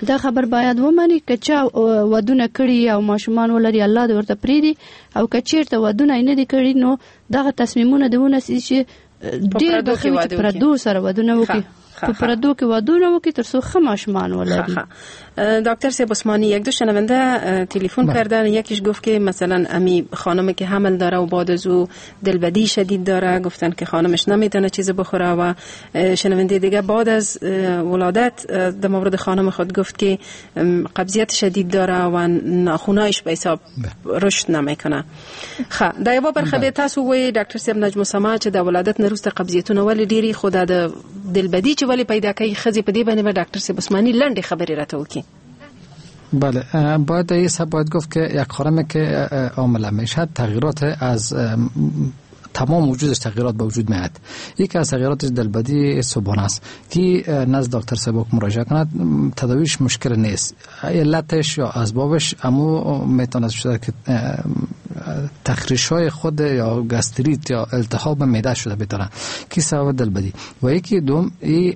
دا خبر باید ومني که چا ودونه کړي او ماشومان ولري الله دې ورته پرېږدي، او که چیرته ودونه یې نه دي کړي نو دغه تصمیمونه دې ونیسي چې ډېر به ښه وي چې پردو سره ودونه وکړي، په پردو کې ودونه وکړي تر څو ښه ماشومان ولري. دکتر صاحب عثمانی، یک دو شنونده تلفن کردن، یکیش گفت که مثلا امی خانم که حمل داره و بعد از او دلبدی شدید داره، گفتن که خانمش نمیتونه چیز بخوره. و شنونده دیگه بعد از ولادت در مورد خانم خود گفت که قبضیت شدید داره و ناخونایش به حساب رشد نمیکنه. خا دا یو برخه به تاسو وای ډاکټر صاحب نجم سما چې د ولادت نه وروسته قبضیتونه ولې ډیری، خو دا د دلبدی چې ولې پیدا کوي ښځې، په دې باندې به ډاکټر صاحب عثماني لنډې خبرې راته وکړي. بله، باید باید گفت که یک خانم که عامله میشد تغییرات از تمام وجودش تغییرات به وجود میاد. یکی از تغییراتش دلبدی صبحانه است که نزد دکتر صاحب مراجعه کند، تداویش مشکل نیست، علتش یا اسبابش امو میتونه شده که تخریش های خود یا گاستریت یا التهاب معده شده بتونه که سبب دلبدی. و یکی دوم این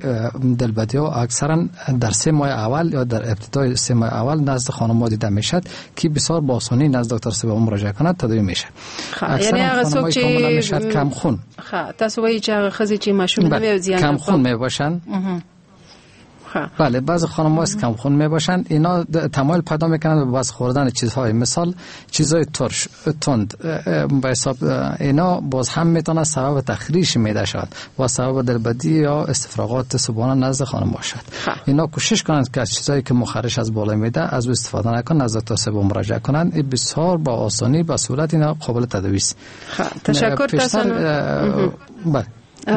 دلبدی ها اکثرا در 3 ماه اول یا در ابتدای 3 ماه اول نزد خانم ها دیده میشد که بسیار با آسانی نزد دکتر صاحب مراجعه کند تداوی میشه. یعنی هغه څوک چې کم خون، تاسو وایي چې هغه ښځې چې ماشوم نه وي زیان کم خون میباشن. بله، بعض خانم‌ها کم خون میباشند، اینا تمایل پیدا میکنند به بعض خوردن چیزهای، مثال چیزهای ترش تند به حساب اینا باز هم میتونه سبب تخریش معده شود و سبب دلبدی یا استفراغات صبحانه نزد خانم باشد. اینا کوشش کنند که از چیزهایی که مخرش از بالای معده از او استفاده نکنند، نزد دکتر صاحب مراجعه کنند. این بسیار با آسانی با سهولت اینا قابل تداوی است. تشکر تاسو. بله،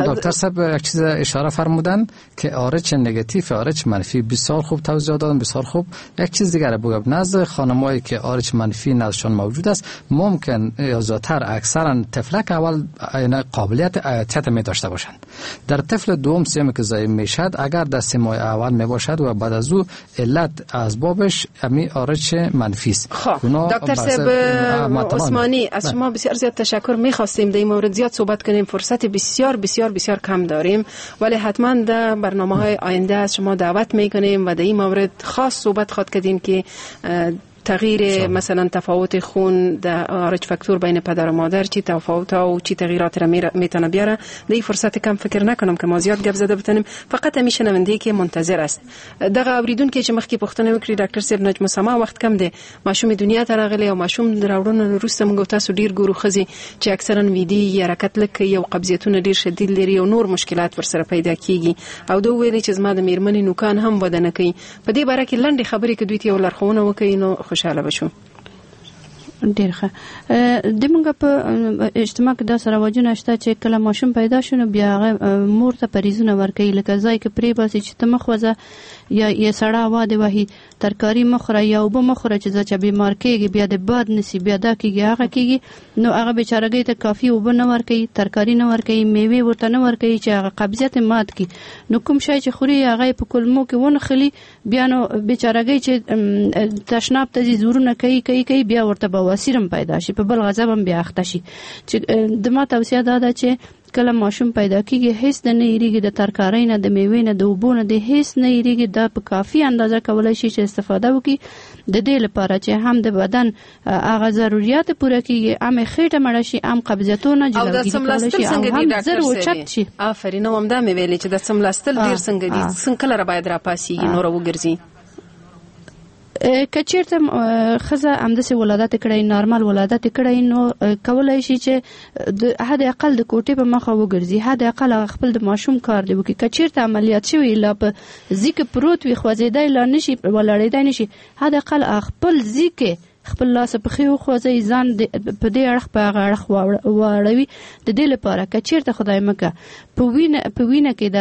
دکتر صاحب یک چیز اشاره فرمودن که آرچ نگاتیو آرچ منفی، بسیار خوب توضیح دادن، بسیار خوب. یک چیز دیگر بگم، نزد خانمایی که آرچ منفی نزدشان موجود است ممکن یا زیادتر اکثرا طفلک اول قابلیت ایاتیت می داشته باشند. در طفل دوم سیمی که زاییم میشد اگر در 3 ماه اول می باشد و بعد از او علت اسبابش امی آرچ منفی است. دکتر صاحب عثمانی، از شما بسیار زیاد تشکر. می‌خواستیم در این مورد زیاد صحبت کنیم، فرصت بسیار بسیار بسیار کم داریم، ولی حتما در برنامه های آینده از شما دعوت میکنیم و در این مورد خاص صحبت خواد کردیم که تغییر مثلا تفاوت خون در آرچ فاکتور بین پدر و مادر چی تفاوت ها و چی تغییرات را میتونه بیاره. در این فرصت کم فکر نکنم که ما زیاد گپ زده بتونیم، فقط همیشه شنونده که منتظر است. دغه اوریدونکي چې مخکې پوښتنه وکړي ډاکټر صاحب نجم سما، وخت کم دی، ماشوم دنیا ته راغلی او ماشوم راوړنه وروسته موږ تاسو ډیر ګورو ښځې چې اکثرا ویدي یا حرکت لږ کوي او قبضیتونه ډیر شدید لري او نور مشکلات ورسره پیدا کیږي، او ده ویلي چې زما د میرمنې نوکان هم وده نه کوي. په دې باره کې لنډې خبرې که دوی ته یو لارښوونه وکړي نو خوشاله به شو. ډیر ښه. د موږ په اجتماع کې داسې رواجونه شته چې کله ماشوم پیدا شو نو بیا هغه مور ته پریزونه ورکوي، لکه ځای کې پرې باسي چې ته مه خوځه، یا یې سړه هوا دې وهي، ترکاري مه خوره یا اوبه مه خوره چې ځه بیمار کېږي، بیا د باد نسی، بیا دا کېږي هغه کېږي. نو هغه بیچارګۍ ته کافي اوبه نه ورکوي، ترکاري نه ورکوي، میوې ورته نه ورکوي چې هغه قبضیت مات کړي. نو کوم شی چې خوري هغه یې په کولمو کې ونښلي، بیا نو بیچارګۍ چې تشناب ته ځي زورونه کوي کوي کوي، بیا ورته بواسیر هم پیدا شي، په بل غضب هم بیا اخته شي. چې د ما توصیه دا ده چې کله ماشوم پیدا کیږي هیڅ د نه یریږي، د ترکارۍ نه، د میوې نه، د اوبو نه، د هیڅ نه یریږي، دا په کافي اندازه کولای شي چې استفاده وکړي، د دې لپاره چې هم د بدن هغه ضروریات پوره کیږي، هم خېټه مړه شي، هم قبضیتونه جلوګیري کولای شي، او هم زر اوچت شي. آفرین، نو همدا مې ویلې چې د څملاستل ډېر څنګه دي، څنګه کله باید راپاسیږي نور وګرځي. که چیرته ښځه همداسې ولادت کړی، نارمل ولادت کړی، نو کولای شي چې د حد اقل د کوټې په مخه وګرځي، حد اقل خپل د ماشوم کار دی وکړي. که چیرته عملیات شوی لا په ځیکه پروت وي، خوځېدای لا نشي، ولاړېدای نشي، حد اقل خپل ځیکه خپل لاس پښې وخوځوي، ځان په دې اړخ په هغه اړخ واړوي. د دې لپاره که چیرته خدای مکه په وینه کې د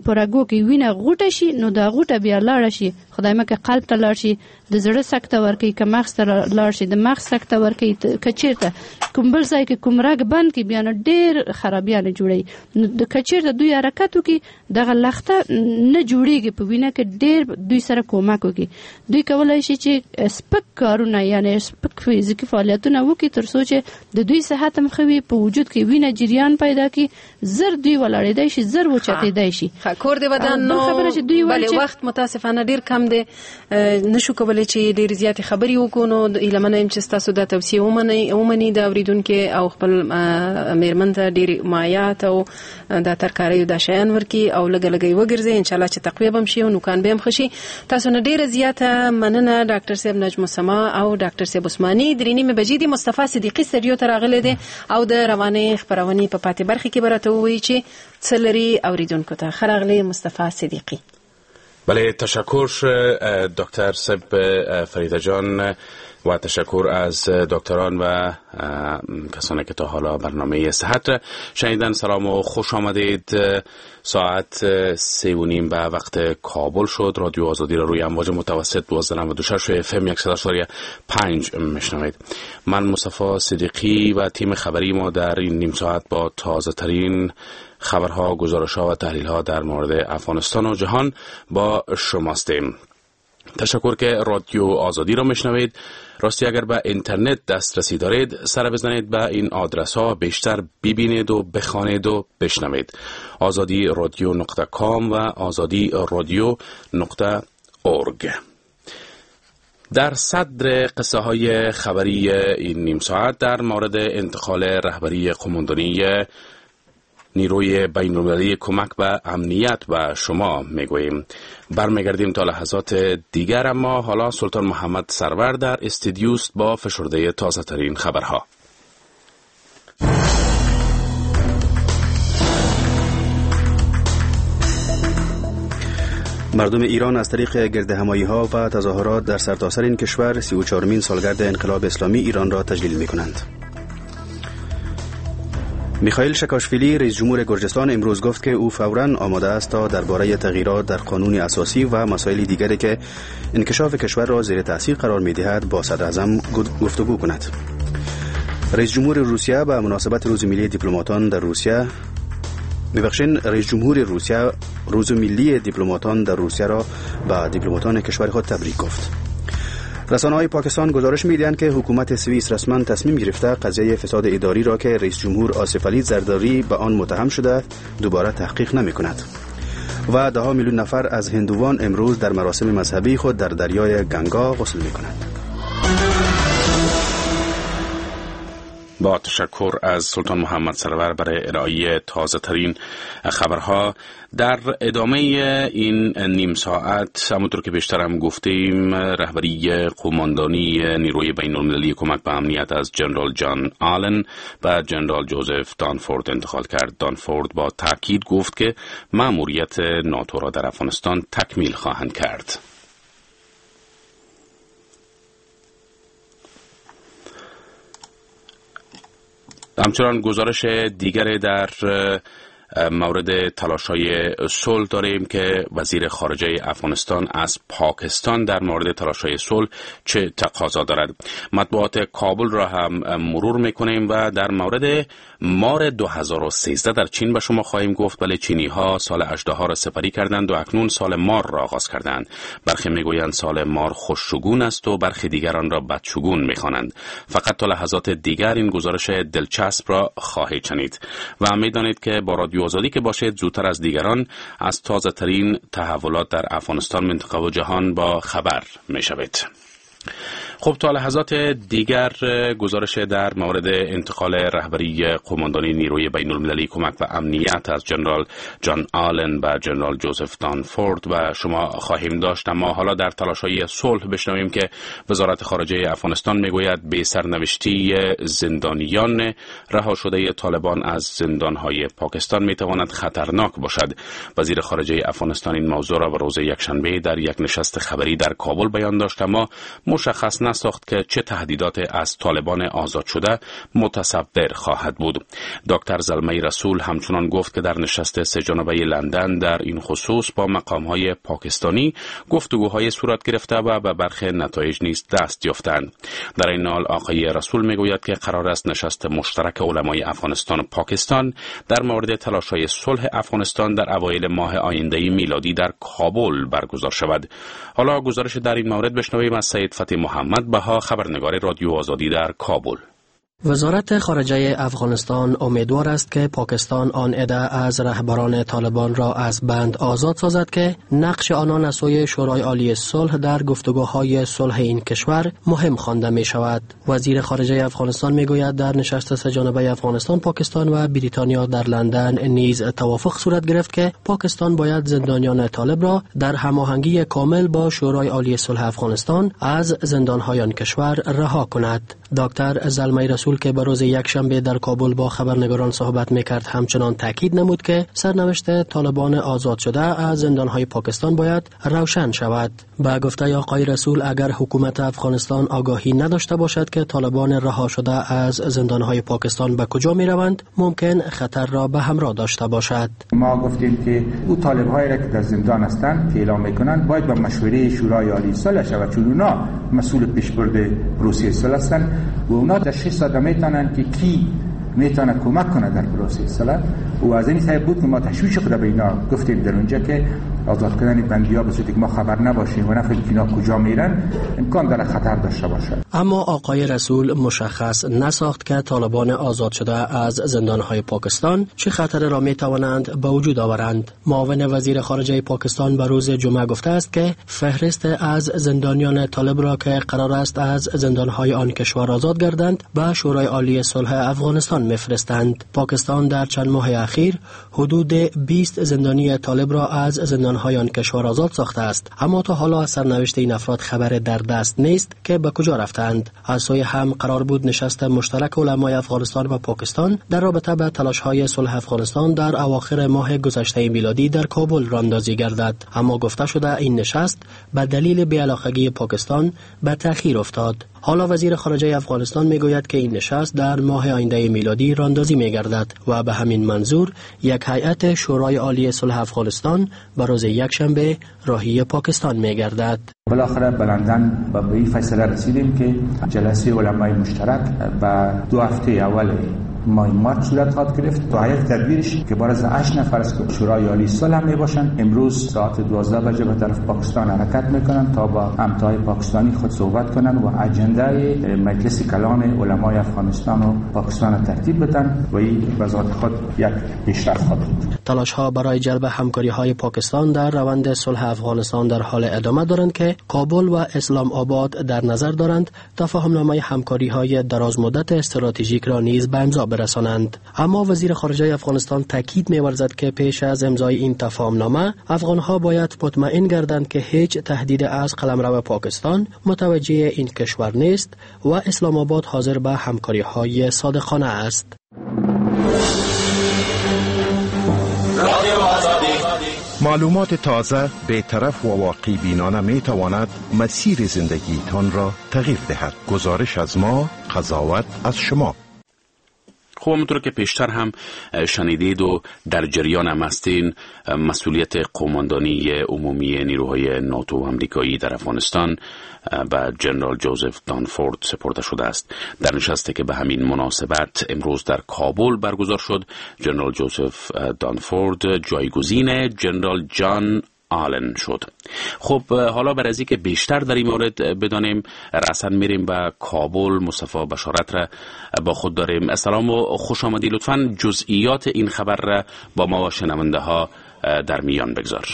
په رګو کې وینه غوټه شي، نو دا غوټه بیا لاړه شي، خدای مکه قلب ته لاړ شي، د زړه سکته ورکوي، که مغز ته لاړ شي د مغز سکته ورکوي، که چیرته کوم بل ځای کې کوم رګ بند کړي بیا نو ډېر خرابیانې جوړوي. نو که چیرته دوی حرکت وکړي دغه لخته نه جوړیږي په وینه کې، ډېر دوی سره کومک وکړي. دوی کولای شي چې سپک کارونه یعنی سپک فزیکي فعالیتونه وکړي تر څو چې د دوی صحت هم ښه وي، په وجود کې وینه جریان پیدا کړي، زر دوی ولاړېدای شي، زر وچتېدای شي. کور دې ودان. نو خبره چې دوی وایي وخت متاسفانه ډېر کم دی، نشو کولی چې ډېر زیاتې خبرې وکړو. نو هیله منه یم چې ستاسو دا توصیه ومني د اورېدونکي او خپل میرمن ته ډېر مایعات او د ترکاریو دا شیان ورکړي او لږه لږه یې وګرځي، انشاءالله چې تقویه به هم شي او نوکان به هم ښه شي. تاسو نه ډېره زیاته مننه ډاکټر صاحب نجم السما او ډاکټر صاحب عثماني. 3:30 بجې دي، مصطفی صدیقي سټډیو ته راغلی دی او د روانې خپرونې په پاتې برخې کې به راته ووایي چې څه لري اورېدونکو ته. ښه راغلی مصطفی صدیقي. بله، تشکر دکتر صاحب فریده جان و تشکر از دکتران و کسانی که تا حالا برنامه صحت را شنیدن. سلام و خوش آمدید. ساعت 3:30 به وقت کابل شد. رادیو آزادی را روی امواج متوسط 12.96 اف ام 100.5 میشنوید. من مصطفی صدیقی و تیم خبری ما در این نیم ساعت با تازه ترین خبرها، گزارش‌ها و تحلیل‌ها در مورد افغانستان و جهان با شماستیم. تشکر که رادیو آزادی را میشنوید. راستی اگر به اینترنت دسترسی دارید سر بزنید به این آدرس ها، بیشتر ببینید و بخوانید و بشنوید: آزادی رادیو .com و آزادی رادیو .org. در صدر قصه های خبری این نیم ساعت در مورد انتقال رهبری قوماندانی نیروی بین‌المللی کمک به امنیت به شما میگوییم. برمیگردیم تا لحظات دیگر، اما حالا سلطان محمد سرور در استودیوست با فشرده تازه ترین خبرها. مردم ایران از طریق گردهمایی‌ها و تظاهرات در سرتاسر این کشور 34مین سالگرد انقلاب اسلامی ایران را تجلیل می‌کنند. میخائیل شکاشویلی رئیس جمهور گرجستان امروز گفت که او فوراً آماده است تا درباره تغییرات در قانون اساسی و مسائل دیگری که انکشاف کشور را زیر تاثیر قرار می‌دهد با صدراعظم گفتگو کند. رئیس جمهور روسیه به مناسبت روز ملی دیپلماتان در روسیه رئیس جمهور روسیه روز ملی دیپلماتان در روسیه را به دیپلماتان کشور خود تبریک گفت. رسانه‌های پاکستان گزارش می‌دهند که حکومت سوئیس رسما تصمیم گرفته قضیه فساد اداری را که رئیس جمهور آصف علی زرداری به آن متهم شده دوباره تحقیق نمی‌کند. و 10 میلیون نفر از هندوان امروز در مراسم مذهبی خود در دریای گنگا غسل می‌کنند. با تشکر از سلطان محمد سرور برای ارائه تازه ترین خبرها. در ادامه این نیم ساعت همونطور که بیشتر هم گفتیم، رهبری قوماندانی نیروی بین المللی کمک به امنیت از جنرال جان آلن و جنرال جوزف دانفورد انتقال کرد. دانفورد با تاکید گفت که مأموریت ناتو را در افغانستان تکمیل خواهند کرد. همچنان گزارش دیگر در مورد تلاش‌های صلح داریم که وزیر خارجه افغانستان از پاکستان در مورد تلاش‌های صلح چه تقاضا دارد. مطبوعات کابل را هم مرور می‌کنیم و در مورد مار 2013 در چین به شما خواهیم گفت. ولی چینی‌ها سال اژدها را سپری کردند و اکنون سال مار را آغاز کردند. برخی می‌گویند سال مار خوششگون است و برخی دیگران را بدشگون می‌خوانند. فقط تا لحظات دیگر این گزارش دلچسب را خواهید شنید و می‌دانید که با رادیو آزادی که باشید زودتر از دیگران از تازه ترین تحولات در افغانستان، منطقه و جهان با خبر میشوید. خب تا لحظات دیگر گزارش در مورد انتقال رهبری قوماندانی نیروی بین المللی کمک و امنیت از جنرال جان آلن به جنرال جوزف دانفورد و شما خواهیم داشت. اما حالا در تلاش‌های صلح بشنویم که وزارت خارجه افغانستان میگوید به سرنوشتی زندانیان رها شده طالبان از زندان‌های پاکستان میتواند خطرناک باشد. وزیر خارجه افغانستان این موضوع را به روز یکشنبه در یک نشست خبری در کابل بیان داشت، اما مشخص نساخت که چه تهدیدات از طالبان آزاد شده متصور خواهد بود. دکتر زلمی رسول همچنان گفت که در نشست سه جانبه لندن در این خصوص با مقام‌های پاکستانی گفتگوهای صورت گرفته و به برخی نتایج نیز دست یافتند. در این حال آقای رسول میگوید که قرار است نشست مشترک علمای افغانستان و پاکستان در مورد تلاش‌های صلح افغانستان در اوایل ماه آینده میلادی در کابل برگزار شود. حالا گزارش در این مورد بشنویم از سید فتح محمد بها، خبرنگار رادیو آزادی در کابل. وزارت خارجه افغانستان امیدوار است که پاکستان آن عده از رهبران طالبان را از بند آزاد سازد که نقش آنان از سوی شورای عالی صلح در گفتگوهای صلح این کشور مهم خوانده می شود. وزیر خارجه افغانستان می گوید در نشست سه جانبه افغانستان، پاکستان و بریتانیا در لندن نیز توافق صورت گرفت که پاکستان باید زندانیان طالب را در هماهنگی کامل با شورای عالی صلح افغانستان از زندانهای آن کشور رها کند. دکتر زلمی رسول که به روز یکشنبه در کابل با خبرنگاران صحبت میکرد همچنان تاکید نمود که سرنوشت طالبان آزاد شده از زندانهای پاکستان باید روشن شود. به گفته آقای رسول اگر حکومت افغانستان آگاهی نداشته باشد که طالبان رها شده از زندانهای پاکستان به کجا میروند، ممکن خطر را به همراه داشته باشد. ما گفتیم که او طالبهایی را که در زندان هستند که اعلام میکنند باید با مشوره شورای عالی صلح شود، چون اونا مسئول پیشبرد پروسه صلح هستند و اونا تشخیص داده میتونن که کی میتونه کمک کنه در پروسه صلح. و از این سبب بود که ما تشویش خود به اینا گفتیم در اونجا که آزاد کردن بندی‌ها به صورتی که ما خبر نباشیم و نفهمیم که اینا کجا میرن امکان داره خطر داشته باشه. اما آقای رسول مشخص نساخت که طالبان آزاد شده از زندان‌های پاکستان چه خطر را میتوانند به وجود آورند. معاون وزیر خارجه پاکستان به روز جمعه گفته است که فهرست از زندانیان طالب را که قرار است از زندان‌های آن کشور آزاد گردند به شورای عالی صلح افغانستان میفرستند. پاکستان در چند ماه اخیر حدود 20 زندانی طالب را از زندان‌های آن کشور آزاد ساخته است، اما تا حالا از سرنوشت این افراد خبر در دست نیست که به کجا رفتند. از سوی هم قرار بود نشست مشترک علمای افغانستان و پاکستان در رابطه به تلاش‌های صلح افغانستان در اواخر ماه گذشته میلادی در کابل راندازی گردد، اما گفته شده این نشست به دلیل بی‌علاقگی پاکستان به تأخیر افتاد. حالا وزیر خارجه افغانستان میگوید که این نشست در ماه آینده میلادی راندازی میگردد و به همین منظور یک هیئت شورای عالی صلح افغانستان به روز یکشنبه راهی پاکستان میگردد. بالاخره به لندن به این فیصله رسیدیم که جلسه علمای مشترک به 2 هفته اول ماه مارچ صورت خواهد گرفت. تا هیئت تدبیرش که بار از 8 نفر است که شورای عالی صلح می باشند امروز ساعت 12 بجه به طرف پاکستان حرکت میکنند تا با همتای پاکستانی خود صحبت کنند و اجندای مجلس کلان علمای افغانستان و پاکستان ترتیب بدن و این به ذات خود یک پیشرفت خواهد بود. تلاش ها برای جلب همکاری های پاکستان در روند صلح افغانستان در حال ادامه دارند که کابل و اسلام آباد در نظر دارند تفاهم نامه همکاری های دراز مدت استراتژیک را نیز به امضا برسانند. اما وزیر خارجه افغانستان تاکید می‌ورزد که پیش از امضای این تفاهمنامه افغانها باید مطمئن گردند که هیچ تهدید از قلمرو پاکستان متوجه این کشور نیست و اسلام آباد حاضر به همکاری‌های صادقانه است. معلومات تازه، بی‌طرف و واقع بینانه می تواند مسیر زندگیتان را تغییر دهد. گزارش از ما، قضاوت از شما. خب همونطور که پیشتر هم شنیدید و در جریان هم هستین، مسئولیت قوماندانی عمومی نیروهای ناتو و امریکایی در افغانستان به جنرال جوزف دانفورد سپرده شده است. در نشستی که به همین مناسبت امروز در کابل برگزار شد، جنرال جوزف دانفورد جایگزین جنرال جان آلن شد. خب حالا برای اینکه بیشتر در این مورد بدانیم رسن میریم به کابل. مصطفی بشارت را با خود داریم. سلام و خوش آمدی. لطفاً جزئیات این خبر را با ما و شنونده ها در میان بگذار.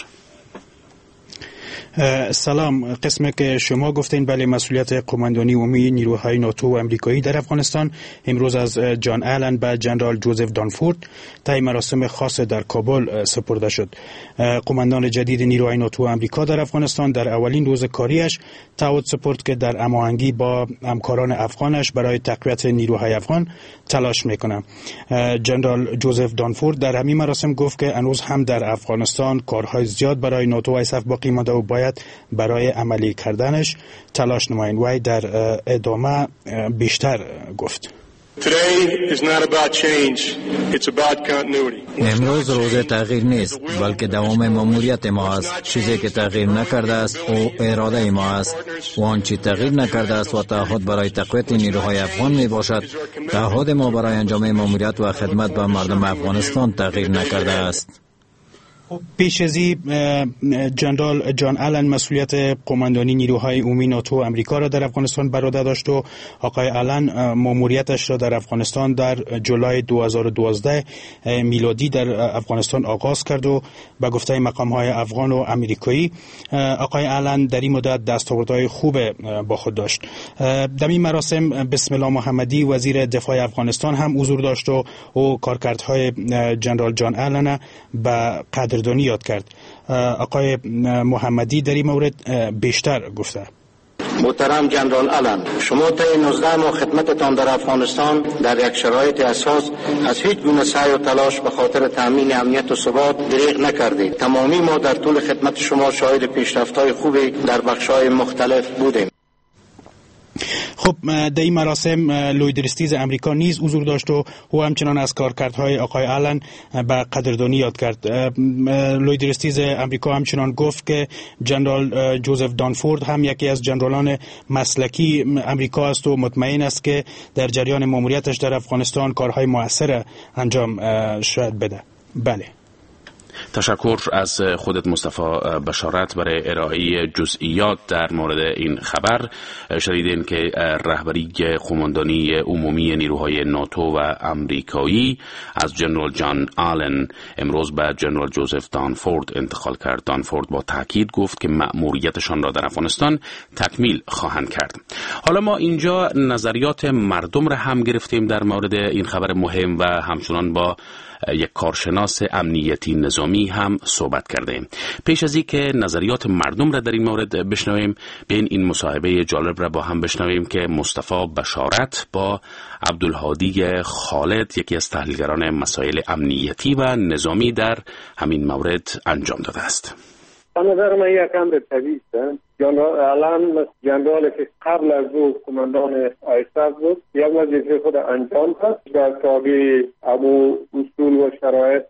سلام. قسمی که شما گفتین، بله، مسئولیت قماندانی عمومی نیروهای ناتو و امریکایی در افغانستان امروز از جان آلن به جنرال جوزف دانفورد طی مراسم خاص در کابل سپرده شد. قماندان جدید نیروهای ناتو و امریکا در افغانستان در اولین روز کاریش تعهد سپرد که در هماهنگی با همکاران افغانش برای تقویت نیروهای افغان تلاش میکنه. جنرال جوزف دانفورد در همین مراسم گفت که هنوز هم در افغانستان کارهای زیاد برای ناتو و آیسف باقی مانده و باید برای عملی کردنش تلاش نمایند. وی در ادامه بیشتر گفت: امروز روز تغییر نیست، بلکه دوام ماموریت ما است. چیزی که تغییر نکرده است او اراده ما است و آنچه تغییر نکرده است و تعهد برای تقویت نیروهای افغان می باشد. تعهد ما برای انجام ماموریت و خدمت به مردم افغانستان تغییر نکرده است. پیش از این جنرال جان آلن مسئولیت قماندانی نیروهای عمومی ناتو و امریکا را در افغانستان بر عهده داشت و آقای آلن ماموریتش را در افغانستان در جولای 2012 میلادی در افغانستان آغاز کرد و به گفته مقام های افغان و امریکایی آقای آلن در این مدت دستاوردهای خوب با خود داشت. در این مراسم بسم الله محمدی، وزیر دفاع افغانستان هم حضور داشت و او کارکردهای جنرال جان آلن به قدردانی یاد کرد. آقای محمدی در این مورد بیشتر گفته: محترم جنرال آلن، شما طی 19 ماه خدمتتان در افغانستان در یک شرایط اساس از هیچ گونه سعی و تلاش به خاطر تامین امنیت و ثبات دریغ نکردید. تمامی ما در طول خدمت شما شاهد پیشرفت‌های خوبی در بخش‌های مختلف بودیم. خب، در این مراسم لوی درستیز امریکا نیز حضور داشت و او همچنان از کارکردهای آقای آلن به قدردانی یاد کرد. لوی درستیز امریکا همچنان گفت که جنرال جوزف دانفورد هم یکی از جنرالان مسلکی امریکا است و مطمئن است که در جریان ماموریتش در افغانستان کارهای مؤثر انجام شاید بده. بله. تشکر از خودت مصطفی بشارت برای ارائه جزئیات در مورد این خبر. شنیدین که رهبری قماندانی عمومی نیروهای ناتو و امریکایی از جنرال جان آلن امروز به جنرال جوزف دانفورد انتقال کرد. دانفورد با تاکید گفت که مأموریتشان را در افغانستان تکمیل خواهند کرد. حالا ما اینجا نظریات مردم را هم گرفتیم در مورد این خبر مهم و همچنان با یک کارشناس امنیتی نظامی هم صحبت کردیم. پیش از اینکه نظریات مردم را در این مورد بشنویم، بیاین این مصاحبه جالب را با هم بشنویم که مصطفی بشارت با عبدالهادی خالد، یکی از تحلیلگران مسائل امنیتی و نظامی، در همین مورد انجام داده است. به نظر من یک امر طبیعی است. جنرال آلن، جنرالی که قبل از او قماندان آیسف بود، یک وظیفه خود انجام داد در تابع امو اصول و شرایط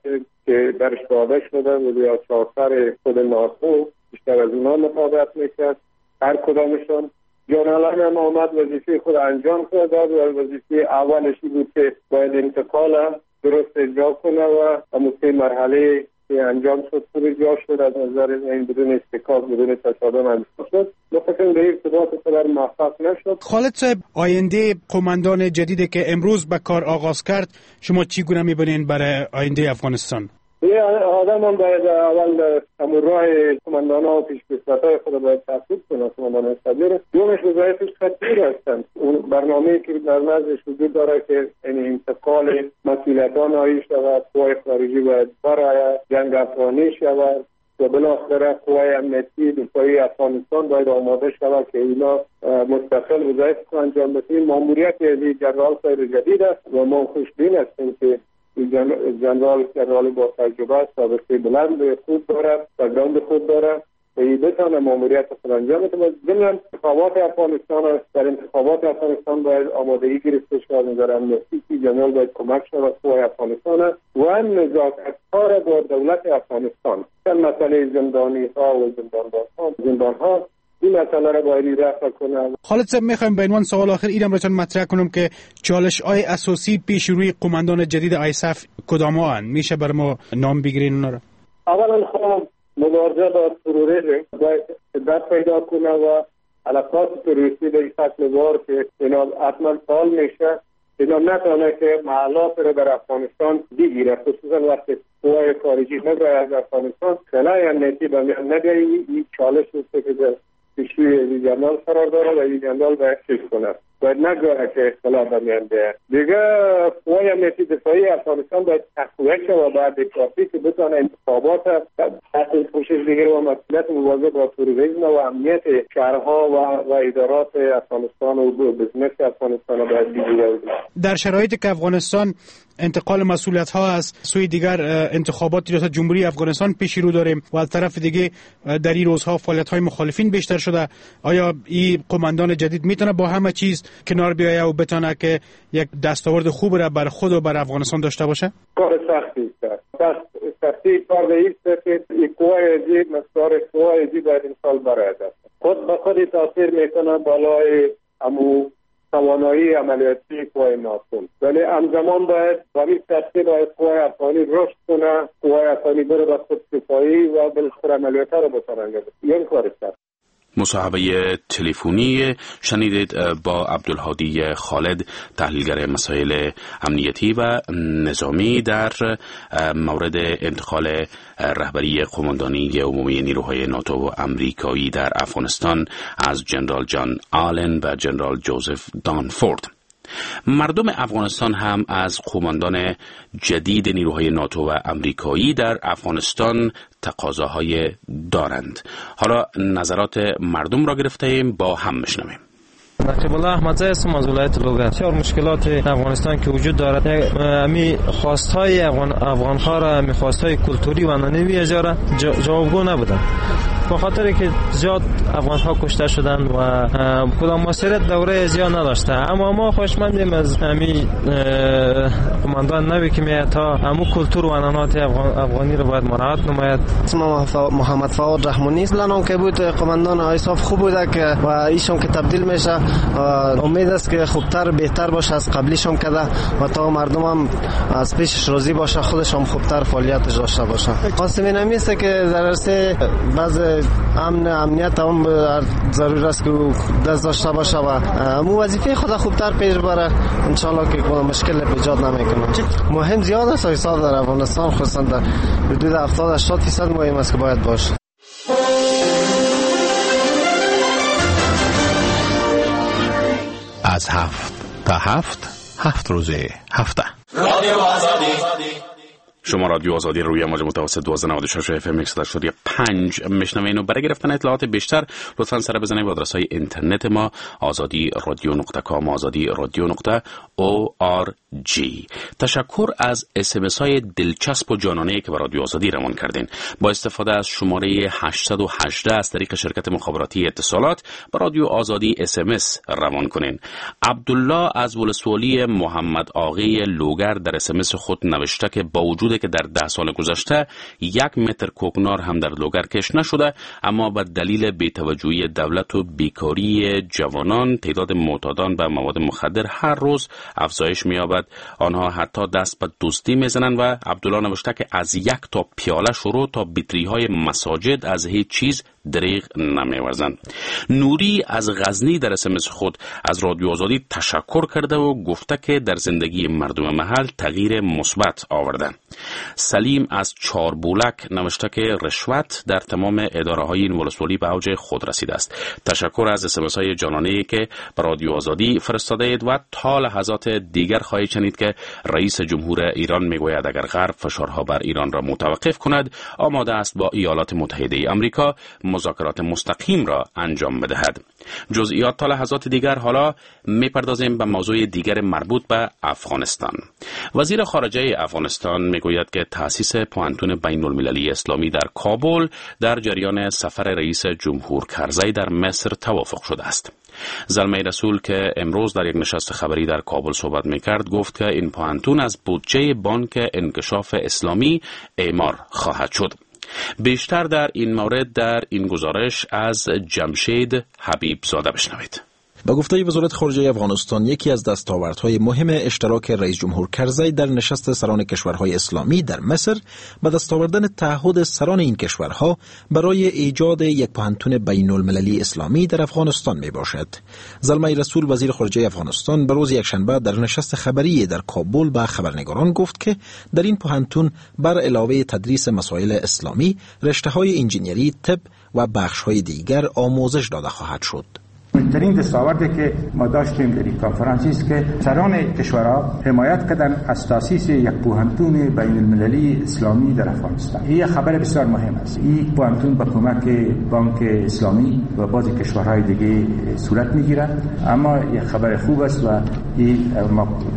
که برش داده شده بود یا چارتر خود ناتو، بیشتر از اونا مطابقت میکرد هر کدامشان. جان آلن هم آمد وظیفه خود انجام داد و وظیفه اولش بود که باید انتقال درست اجرا کنه و امو سه مرحله که انجام شد خوب اجرا شد، از نظر این بدون اصطکاک، بدون تصادم انجام شد. ما فکر به ارتباط قدر موفق نشد. خالد صاحب، آینده قماندان جدیدی که امروز به کار آغاز کرد شما چی گونه می‌بینین برای آینده افغانستان؟ یه آدم هم باید اول همون راه قماندان ها و پیشکسوت‌های خود باید تعقیب کنه، قماندان صدر. دومش وظایفش خطیر هستند. اون برنامه‌ای که در نزدش وجود داره که این انتقال مسئولیت‌ها نهایی شود، قوای خارجی باید برای جنگ افغانی شود و بالاخره قوای امنیتی دفاعی افغانستان باید آماده شود که اینا مستقل وظایف خود انجام بدهند. ماموریت از جنرال صاحب جدید است و ما خوشبین هستیم که جنرال با تجربه، سابقه بلند خوب داره، background خوب داره و این بتانه ماموریت خود انجام بده. ضمن انتخابات افغانستان است. در انتخابات افغانستان باید آمادگی گرفته شود از نظر امنیتی که جنرال باید کمک شود قوای افغانستان است و نزاکت‌ها با دولت افغانستان. مسئله زندانی ها و زندان ها این مسئله را باید رفع کنه. خالد صاحب، میخوایم به عنوان سوال آخر اینم براتون مطرح کنم که چالش های اساسی پیش روی قماندان جدید آیسف کدام ها میشه بر ما نام بگیرین اونا را؟ اولا خب مبارزه با تروریسم باید شدت پیدا کنه و علاقات تروریستی به شکل وار که اینا حتما فعال میشه، اینا نتونه که محلات رو در افغانستان بگیره، خصوصا وقتی قوای خارجی نبرای از افغانستان، خلای امنیتی به میان نبیایی. این چالش است که در پیشروی این جنرال قرار داره و این جنرال باید چیز کنه، باید نگذاره که اختلاف به میان بیاید. دیگه قوای امنیتی دفاعی افغانستان باید تقویت شود و باید کافی که بتانه انتخابات تحت پوشش بگیره و مسئولیت مبارزه با تروریسم و امنیت شهرها و ادارات افغانستان و business افغانستان باید بگیره. در شرایطی که افغانستان انتقال مسئولیت ها از سوی دیگر انتخابات ریاست جمهوری افغانستان پیش رو داریم و از طرف دیگه در این روزها فعالیت های مخالفین بیشتر شده، آیا این قماندان جدید میتونه با همه چیز کنار بیاید و بتونه که یک دستاورد خوب را بر خود و بر افغانستان داشته باشه؟ کار سختی است. سختی کار است که قوای ازی مقدار قوای ازی باید انسان برای خود به خود تاثیر میکنه بالای امو توانایی عملیاتی قوای ناتو، ولی همزمان باید با این ترتیب باید قوای افغانی رشد کنه، قوای افغانی بره به خودکفایی و بالاخره عملیات رو بتونه انجام بده. این کار سخت. مصاحبه تلفنی شنیدید با عبدالهادی خالد، تحلیلگر مسائل امنیتی و نظامی در مورد انتقال رهبری قماندانی عمومی نیروهای ناتو و امریکایی در افغانستان از جنرال جان آلن و جنرال جوزف دانفورد. مردم افغانستان هم از قماندان جدید نیروهای ناتو و امریکایی در افغانستان تقاضاهای دارند. حالا نظرات مردم را گرفته ایم، با هم میشنویم. نقیب الله احمدزی هستم از ولایت لوگر. بسیار مشکلات افغانستان که وجود دارد، امی خواستهای افغان‌ها را، امی خواستهای کلتوری و عنعنوی اجاره جوابگو نبودند، به خاطر که زیاد افغان‌ها کشته شدند و کدام موثریت دوره زیاد نداشته. اما ما خوشمندیم از امی قماندان نوی که میاد تا امو کلتور و عنعنات افغانی را باید مراعات نماید. اسم محمد فواد رحمانی است. لنام که بود قماندان ایساف خوب بوده که و ایشون که تبدیل میشه، امید است که خوبتر بهتر باشه از قبلیشون کده و تا مردم هم از پیشش راضی باشه، خودش هم خوبتر فعالیتش داشته باشه. قاسم اینمی است که در عرصه بعض امن امنیت هم ضرور است که دست داشته باشه و مو وظیفه خود خوبتر پیش بره. ان شاء الله که مشکل ایجاد نمیکنه. مهم زیاد است حساب در افغانستان، خصوصا در حدود 70-80% مهم است که باید باشه. از 7 تا 7، 7 روز هفته. رادیو آزادی. شما رادیو آزادی روی موج متوسط 1296 اف ام 105 میشنوین و برای گرفتن اطلاعات بیشتر لطفاً سر بزنید به آدرس های اینترنت ما آزادی رادیو نقطه com، آزادی رادیو نقطه org. تشکر از SMS های دلچسب و جانانه که به رادیو آزادی روان کردین. با استفاده از شماره 818 از طریق شرکت مخابراتی اتصالات به رادیو آزادی SMS روان کنین. عبدالله از ولسوالی محمد آقای لوگر در SMS خود نوشته که با وجود که در 10 سال گذشته 1 متر کوکنار هم در لوگر کش نشده، اما به دلیل بی‌توجهی دولت و بیکاری جوانان تعداد معتادان به مواد مخدر هر روز افزایش می‌یابد. آنها حتی دست به دزدی می‌زنند و عبدالله نوشته که از 1 تا پیاله شروع تا بطری‌های مساجد از هیچ چیز دریغ نمی‌ورزند. نوری از غزنی در SMS خود از رادیو آزادی تشکر کرده و گفته که در زندگی مردم محل تغییر مثبت آورده. سلیم از چاربولک نوشته که رشوت در تمام اداره های این ولسوالی به اوج خود رسیده است. تشکر از SMS های جانانه که به رادیو آزادی فرستاده اید و تا لحظات دیگر خواهید شنید که رئیس جمهور ایران میگوید اگر غرب فشارها بر ایران را متوقف کند آماده است با ایالات متحده آمریکا مذاکرات مستقیم را انجام بدهد. جزئیات تا لحظات دیگر. حالا میپردازیم به موضوع دیگر مربوط به افغانستان. وزیر خارجه افغانستان میگوید که تأسیس پوهنتون بین المللی اسلامی در کابل در جریان سفر رئیس جمهور کرزی در مصر توافق شده است. زلمی رسول که امروز در یک نشست خبری در کابل صحبت میکرد گفت که این پوهنتون از بودجه بانک انکشاف اسلامی اعمار خواهد شد. بیشتر در این مورد در این گزارش از جمشید حبیب زاده بشنوید. به گفته وزارت خارجه افغانستان، یکی از دستاوردهای مهم اشتراک رئیس جمهور کرزی در نشست سران کشورهای اسلامی در مصر، به دست آوردن تعهد سران این کشورها برای ایجاد یک پوهنتون بین المللی اسلامی در افغانستان می باشد. زلمی رسول، وزیر خارجه افغانستان، به روز یکشنبه در نشست خبری در کابل به خبرنگاران گفت که در این پوهنتون بر علاوه تدریس مسائل اسلامی، رشته های انجینیری، طب و بخش های دیگر آموزش داده خواهد شد. مهمترین دستاوردی که ما داشتیم در این کنفرانس است که سران کشورها حمایت کردن از تاسیس یک پوهنتون بین المللی اسلامی در افغانستان. این خبر بسیار مهم است. این پوهنتون با کمک بانک اسلامی و بعضی کشورهای دیگه صورت میگیره، اما یک خبر خوب است و این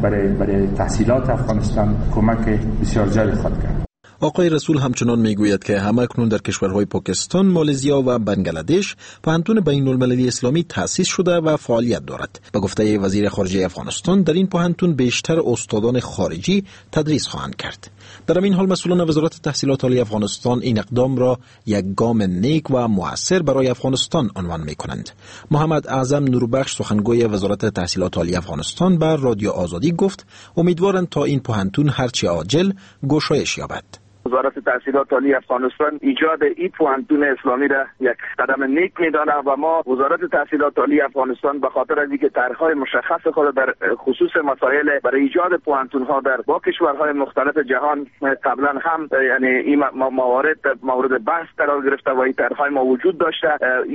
برای تحصیلات افغانستان کمک بسیار زیادی خواهد کرد. آقای رسول همچنان میگوید که هم اکنون در کشورهای پاکستان، مالزیا و بنگلادش پوهنتون بین المللی اسلامی تأسیس شده و فعالیت دارد. به گفته وزیر خارجه افغانستان، در این پوهنتون بیشتر استادان خارجی تدریس خواهند کرد. در همین حال مسئولان وزارت تحصیلات عالی افغانستان این اقدام را یک گام نیک و مؤثر برای افغانستان عنوان می کنند. محمد اعظم نوربخش، سخنگوی وزارت تحصیلات عالی افغانستان، بر رادیو آزادی گفت امیدوارند تا این پوهنتون هرچه عاجل گشایش یابد. وزارت تحصیلات عالی افغانستان ایجاد این پوهنتون اسلامی را یک قدم نیک می‌داند و ما وزارت تحصیلات عالی افغانستان به خاطر از اینکه طرح‌های مشخص خود در خصوص مسائل برای ایجاد پوهنتون‌ها در با کشورهای مختلف جهان قبلا هم یعنی این موارد مورد بحث قرار گرفته و این طرح‌های ما وجود داشته،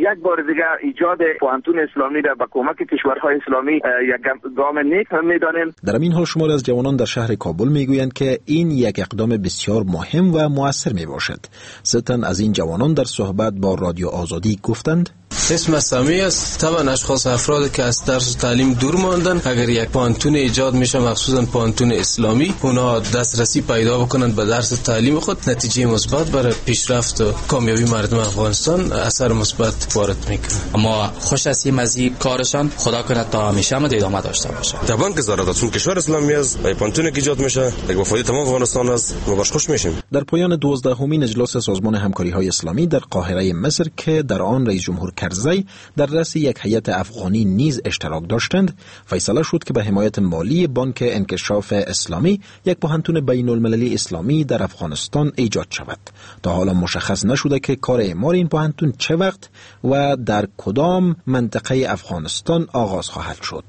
یک بار دیگر ایجاد پوهنتون اسلامی را به کمک کشورهای اسلامی یک گام نیک می‌دانیم. در همین حال شماری از جوانان در شهر کابل می‌گویند که این یک اقدام بسیار مهم و مؤثر می باشد. سه تن از این جوانان در صحبت با رادیو آزادی گفتند: اسم سمی است. طبعا اشخاص افراد که از درس و تعلیم دور ماندن، اگر یک پوهنتون ایجاد میشه، مخصوصا پوهنتون اسلامی، اونا دسترسی پیدا بکنند به درس و تعلیم خود، نتیجه مثبت برای پیشرفت و کامیابی مردم افغانستان اثر مثبت وارد میکنه. ما خوش هستیم از این کارشان، خدا کنه تا همیشه هم ادامه داشته باشه. طبعا که ضرورت کشور اسلامی است و پوهنتون که ایجاد میشه یک فایده تمام افغانستان است، ما باش خوش میشیم. در پایان 12مین اجلاس سازمان همکاری‌های اسلامی در قاهره مصر که در آن رئیس جمهور کرزی در رأس یک هیئت افغانی نیز اشتراک داشتند، فیصله شد که به حمایت مالی بانک انکشاف اسلامی یک پوهنتون بین المللی اسلامی در افغانستان ایجاد شود. تا حالا مشخص نشده که کار اعمار این پوهنتون چه وقت و در کدام منطقه افغانستان آغاز خواهد شد.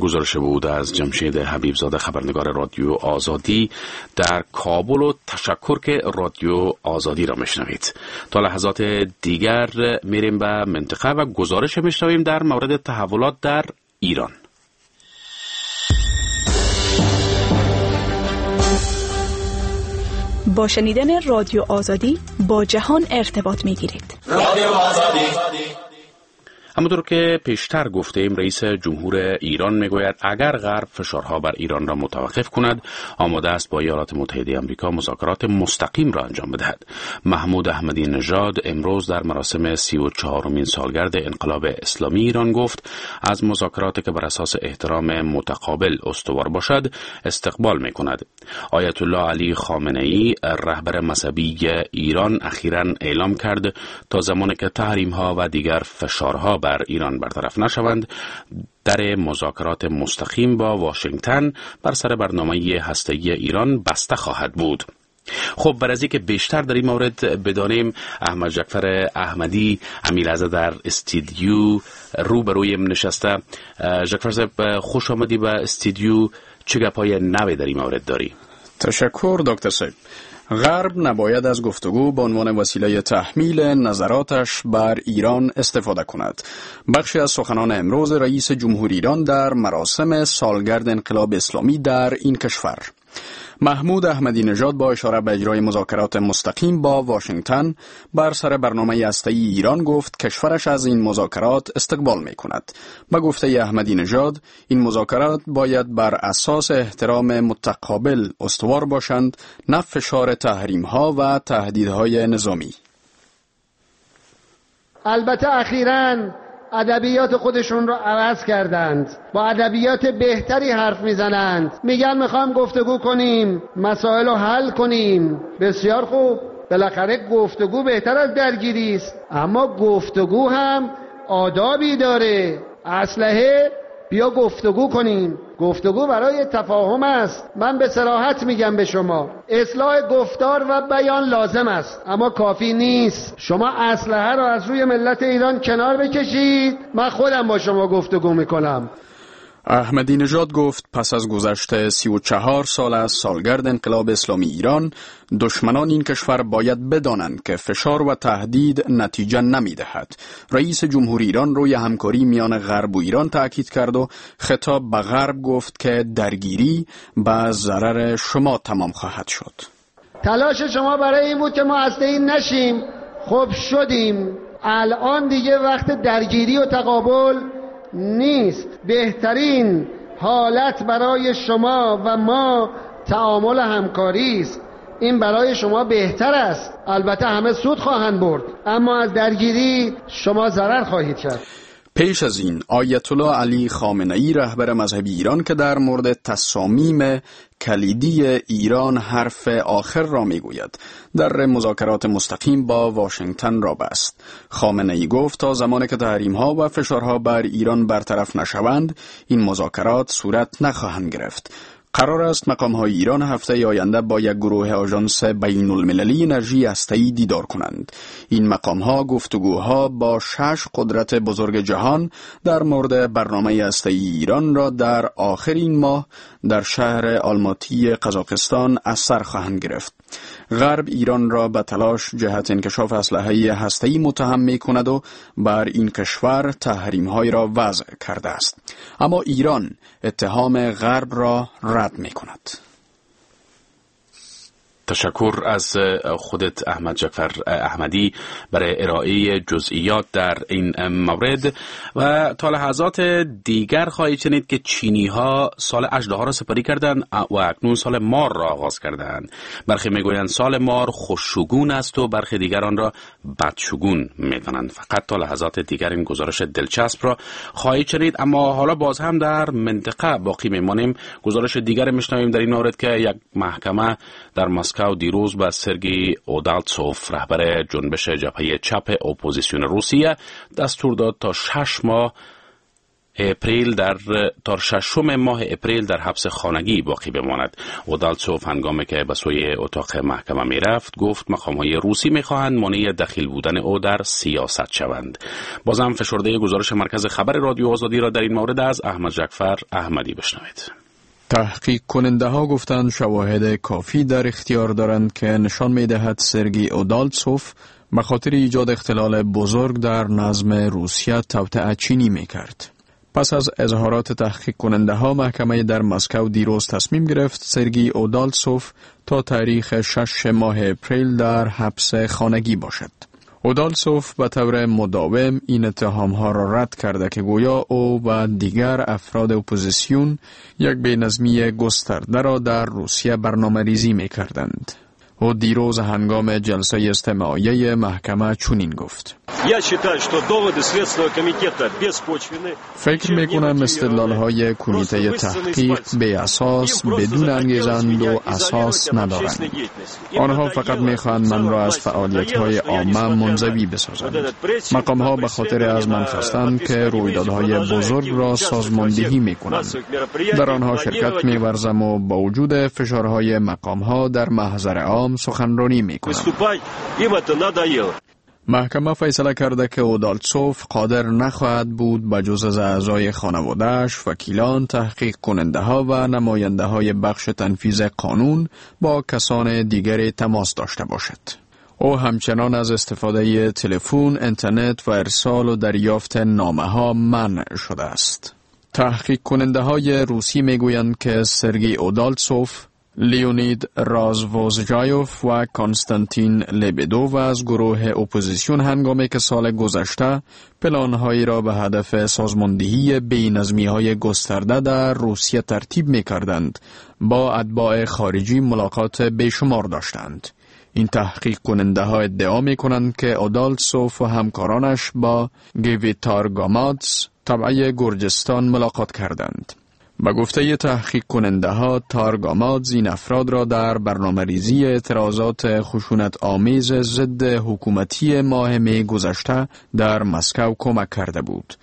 گزارش بود از جمشید حبیبزاده، خبرنگار رادیو آزادی در کابل، و تشکر که رادیو آزادی را میشنوید. تا لحظات دیگر میریم به منطقه و گزارش میشنویم در مورد تحولات در ایران. با شنیدن رادیو آزادی با جهان ارتباط میگیرید. رادیو آزادی. همونطور که پیشتر گفتیم، رئیس جمهور ایران میگوید اگر غرب فشارها بر ایران را متوقف کند، آماده است با ایالات متحده آمریکا مذاکرات مستقیم را انجام بدهد. محمود احمدی نژاد امروز در مراسم 34مین سالگرد انقلاب اسلامی ایران گفت از مذاکراتی که بر اساس احترام متقابل استوار باشد استقبال میکند. آیت الله علی خامنه ای، رهبر مذهبی ایران، اخیراً اعلام کرد تا زمانی که تحریم ها و دیگر فشارها بر ایران برطرف نشوند، در مذاکرات مستقیم با واشنگتن بر سر برنامه هسته‌ای ایران بسته خواهد بود. خب بر از اینکه بیشتر در این مورد بدانیم، احمد جعفر احمدی امیرزاده در استودیو روبرویم نشسته. جعفر صاحب، خوش آمدی به استودیو. چه گپای نوی در این مورد داری؟ تشکر دکتر صاحب. غرب نباید از گفتگو به عنوان وسیله تحمیل نظراتش بر ایران استفاده کند. بخشی از سخنان امروز رئیس جمهور ایران در مراسم سالگرد انقلاب اسلامی در این کشور. محمود احمدی نژاد با اشاره به اجرای مذاکرات مستقیم با واشنگتن بر سر برنامه هسته‌ای ایران گفت کشورش از این مذاکرات استقبال می‌کند. به گفته احمدی نژاد این مذاکرات باید بر اساس احترام متقابل استوار باشند، نه فشار تحریم‌ها و تهدیدهای نظامی. البته اخیراً ادبیات خودشون رو عوض کردند، با ادبیات بهتری حرف میزنند، میگن میخوایم گفتگو کنیم، مسائل رو حل کنیم. بسیار خوب، بالاخره گفتگو بهتر از درگیری است، اما گفتگو هم آدابی داره. اسلحه، بیا گفتگو کنیم. گفتگو برای تفاهم است. من به صراحت میگم به شما، اصلاح گفتار و بیان لازم است، اما کافی نیست. شما اسلحه را از روی ملت ایران کنار بکشید، من خودم با شما گفتگو میکنم. احمدی نژاد گفت پس از گذشت 34 سال از سالگرد انقلاب اسلامی ایران، دشمنان این کشور باید بدانند که فشار و تهدید نتیجه نمیدهد. رئیس جمهور ایران روی همکاری میان غرب و ایران تأکید کرد و خطاب به غرب گفت که درگیری به ضرر شما تمام خواهد شد. تلاش شما برای این بود که ما هسته‌ای نشیم، خب شدیم. الان دیگه وقت درگیری و تقابل نیست. بهترین حالت برای شما و ما تعامل همکاری است. این برای شما بهتر است. البته همه سود خواهند برد، اما از درگیری شما ضرر خواهید کرد. پیش از این آیت الله علی خامنه‌ای رهبر مذهبی ایران که در مورد تصامیم کلیدی ایران حرف آخر را میگوید، در مذاکرات مستقیم با واشنگتن را بست. خامنه‌ای گفت تا زمانی که تحریم‌ها و فشارها بر ایران برطرف نشوند، این مذاکرات صورت نخواهند گرفت. قرار است مقام‌های ایران هفته آینده با یک گروه آژانس بین‌المللی انرژی هسته‌ای دیدار کنند. این مقام‌ها گفتگوها با 6 قدرت بزرگ جهان در مورد برنامه هسته‌ای ایران را در آخرین ماه در شهر آلماتی قزاقستان از سر خواهند گرفت. غرب ایران را به تلاش جهت انکشاف اسلحه هسته‌ای متهم می‌کند و بر این کشور تحریم‌های را وضع کرده است. اما ایران اتهام غرب را رد می‌کند. تشکر از خودت احمد جعفر احمدی برای ارائه جزئیات در این مورد. و تا لحظات دیگر خواهید شنید که چینی ها سال اژدها را سپری کردند و اکنون سال مار را آغاز کردند. برخی میگویند سال مار خوششگون است و برخی دیگران را بدشگون میدانند. فقط تا لحظات دیگر این گزارش دلچسب را خواهید شنید. اما حالا باز هم در منطقه باقی میمانیم. گزارش دیگر میشنویم در این مورد که یک محکمه در مسکو دیروز به سرگی اودالتسوف رهبر جنبش جبهه چپ اپوزیسیون روسیه دستور داد تا 6 ماه اپریل تا ششم ماه اپریل در حبس خانگی باقی بماند. اودالتسوف هنگامی که به سوی اتاق محکمه می رفت گفت مقام‌های روسی می خواهند مانع دخیل بودن او در سیاست شوند. بازم فشرده گزارش مرکز خبر رادیو آزادی را در این مورد از احمد جعفر احمدی بشنوید. تحقیق کننده ها گفتند شواهد کافی در اختیار دارند که نشان می دهد سرگی اودالتسوف به خاطر ایجاد اختلال بزرگ در نظم روسیه توطئه چینی می کرد. پس از اظهارات تحقیق کننده ها محکمه در مسکو دیروز تصمیم گرفت سرگی اودالتسوف تا تاریخ 6 ماه اپریل در حبس خانگی باشد. اودالتسوف به طور مداوم این اتهام ها را رد کرده که گویا او و دیگر افراد اپوزیسیون یک بی‌نظمی گسترده را در روسیه برنامه ریزی می کردند. او دیروز هنگام جلسه استماعیه محکمه چنین گفت: فکر میکنم استدلال های کمیته تحقیق بی اساس، بدون انگیزند و اساس ندارند. آنها فقط میخواهند من را از فعالیت های عامه منزوی بسازند. مقام ها به خاطر از من خواستند که رویدادهای بزرگ را سازماندهی میکنند. در آنها شرکت میورزم و با وجود فشارهای مقام ها در محضر عام سخنرانی میکنم. محکمه فیصله کرده که اودالتسوف قادر نخواهد بود به جز از اعضای خانواده‌اش، وکیلان، تحقیق کننده ها و نماینده های بخش تنفیذ قانون با کسان دیگر تماس داشته باشد. او همچنان از استفاده تلفن، اینترنت و ارسال و دریافت نامه ها منع شده است. تحقیق کننده های روسی میگویند که سرگی اودالتسوف، لیونید رازوزجایوف و کانستانتین لبدوف از گروه اپوزیسیون هنگامی که سال گذشته پلانهایی را به هدف سازماندهی بی‌نظمی‌های گسترده در روسیه ترتیب می‌کردند، با اتباع خارجی ملاقات بیشمار داشتند. این تحقیق کننده ها ادعا می کنند که اودالتسوف و همکارانش با گیویتار گامادز تبعه گرجستان ملاقات کردند. با گفته تحقیق کننده ها تارگامادز این افراد را در برنامه ریزی اعتراضات خشونت آمیز ضد حکومتی ماه می گذشته در مسکو کمک کرده بود.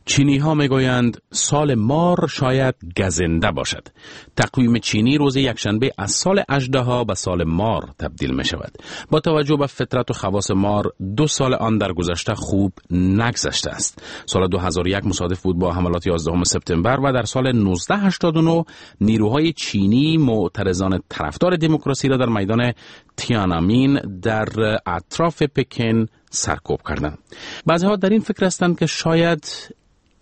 چینی ها میگویند سال مار شاید گزنده باشد. تقویم چینی روز یکشنبه از سال اژدها به سال مار تبدیل می شود. با توجه به فطرت و خواص مار، 2 سال آن در گذشته خوب نگذشته است. سال 2001 مصادف بود با حملات 11 سپتامبر و در سال 1989 نیروهای چینی معترضان طرفدار دموکراسی را در میدان تیانامین در اطراف پکن سرکوب کردند. بعضی‌ها در این فکر هستند که شاید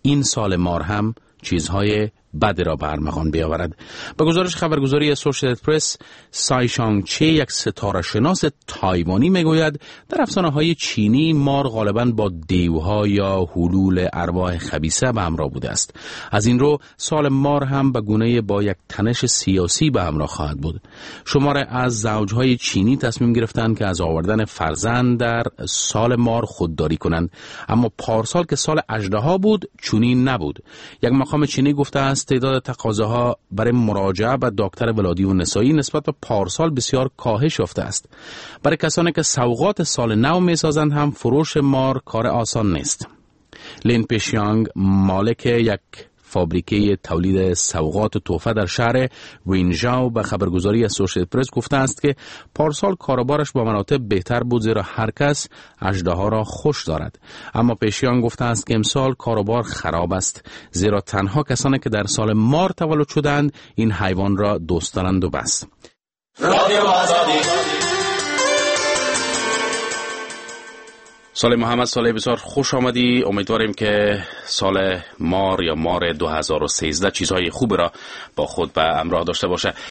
این سال مار هم چیزهای بد را به ارمغان بیاورد. به گزارش خبرگزاری اسوسییتد پرس، سای شانگ چه یک ستاره شناس تایوانی میگوید در افسانه های چینی مار غالبا با دیوها یا حلول ارواح خبیثه به همراه بوده است. از این رو سال مار هم به گونه با یک تنش سیاسی به همراه خواهد بود. شمار از زوجهای چینی تصمیم گرفتند که از آوردن فرزند در سال مار خودداری کنند، اما پارسال که سال اژدها بود چنین نبود. یک مقام چینی گفته است تعداد تقاضاها برای مراجعه به دکتر ولادی و نسایی نسبت به پارسال بسیار کاهش یافته است. برای کسانی که سوغات سال نو میسازند هم فروش مار کار آسان نیست. لین پیشیانگ مالک یک فابریکه تولید سوغات و تحفه در شهر وینژاو به خبرگزاری اسوسییتد پرس گفته است که پارسال کاروبارش با مراتب بهتر بود، زیرا هر کس اژدها را خوش دارد. اما پیشیان گفته است که امسال کاروبار خراب است، زیرا تنها کسانی که در سال مار تولد شدند این حیوان را دوست دارند و بس. سال محمد، سال بسیار خوش آمدی. امیدواریم که سال مار یا مار 2013 چیزهای خوب را با خود به همراه داشته باشه.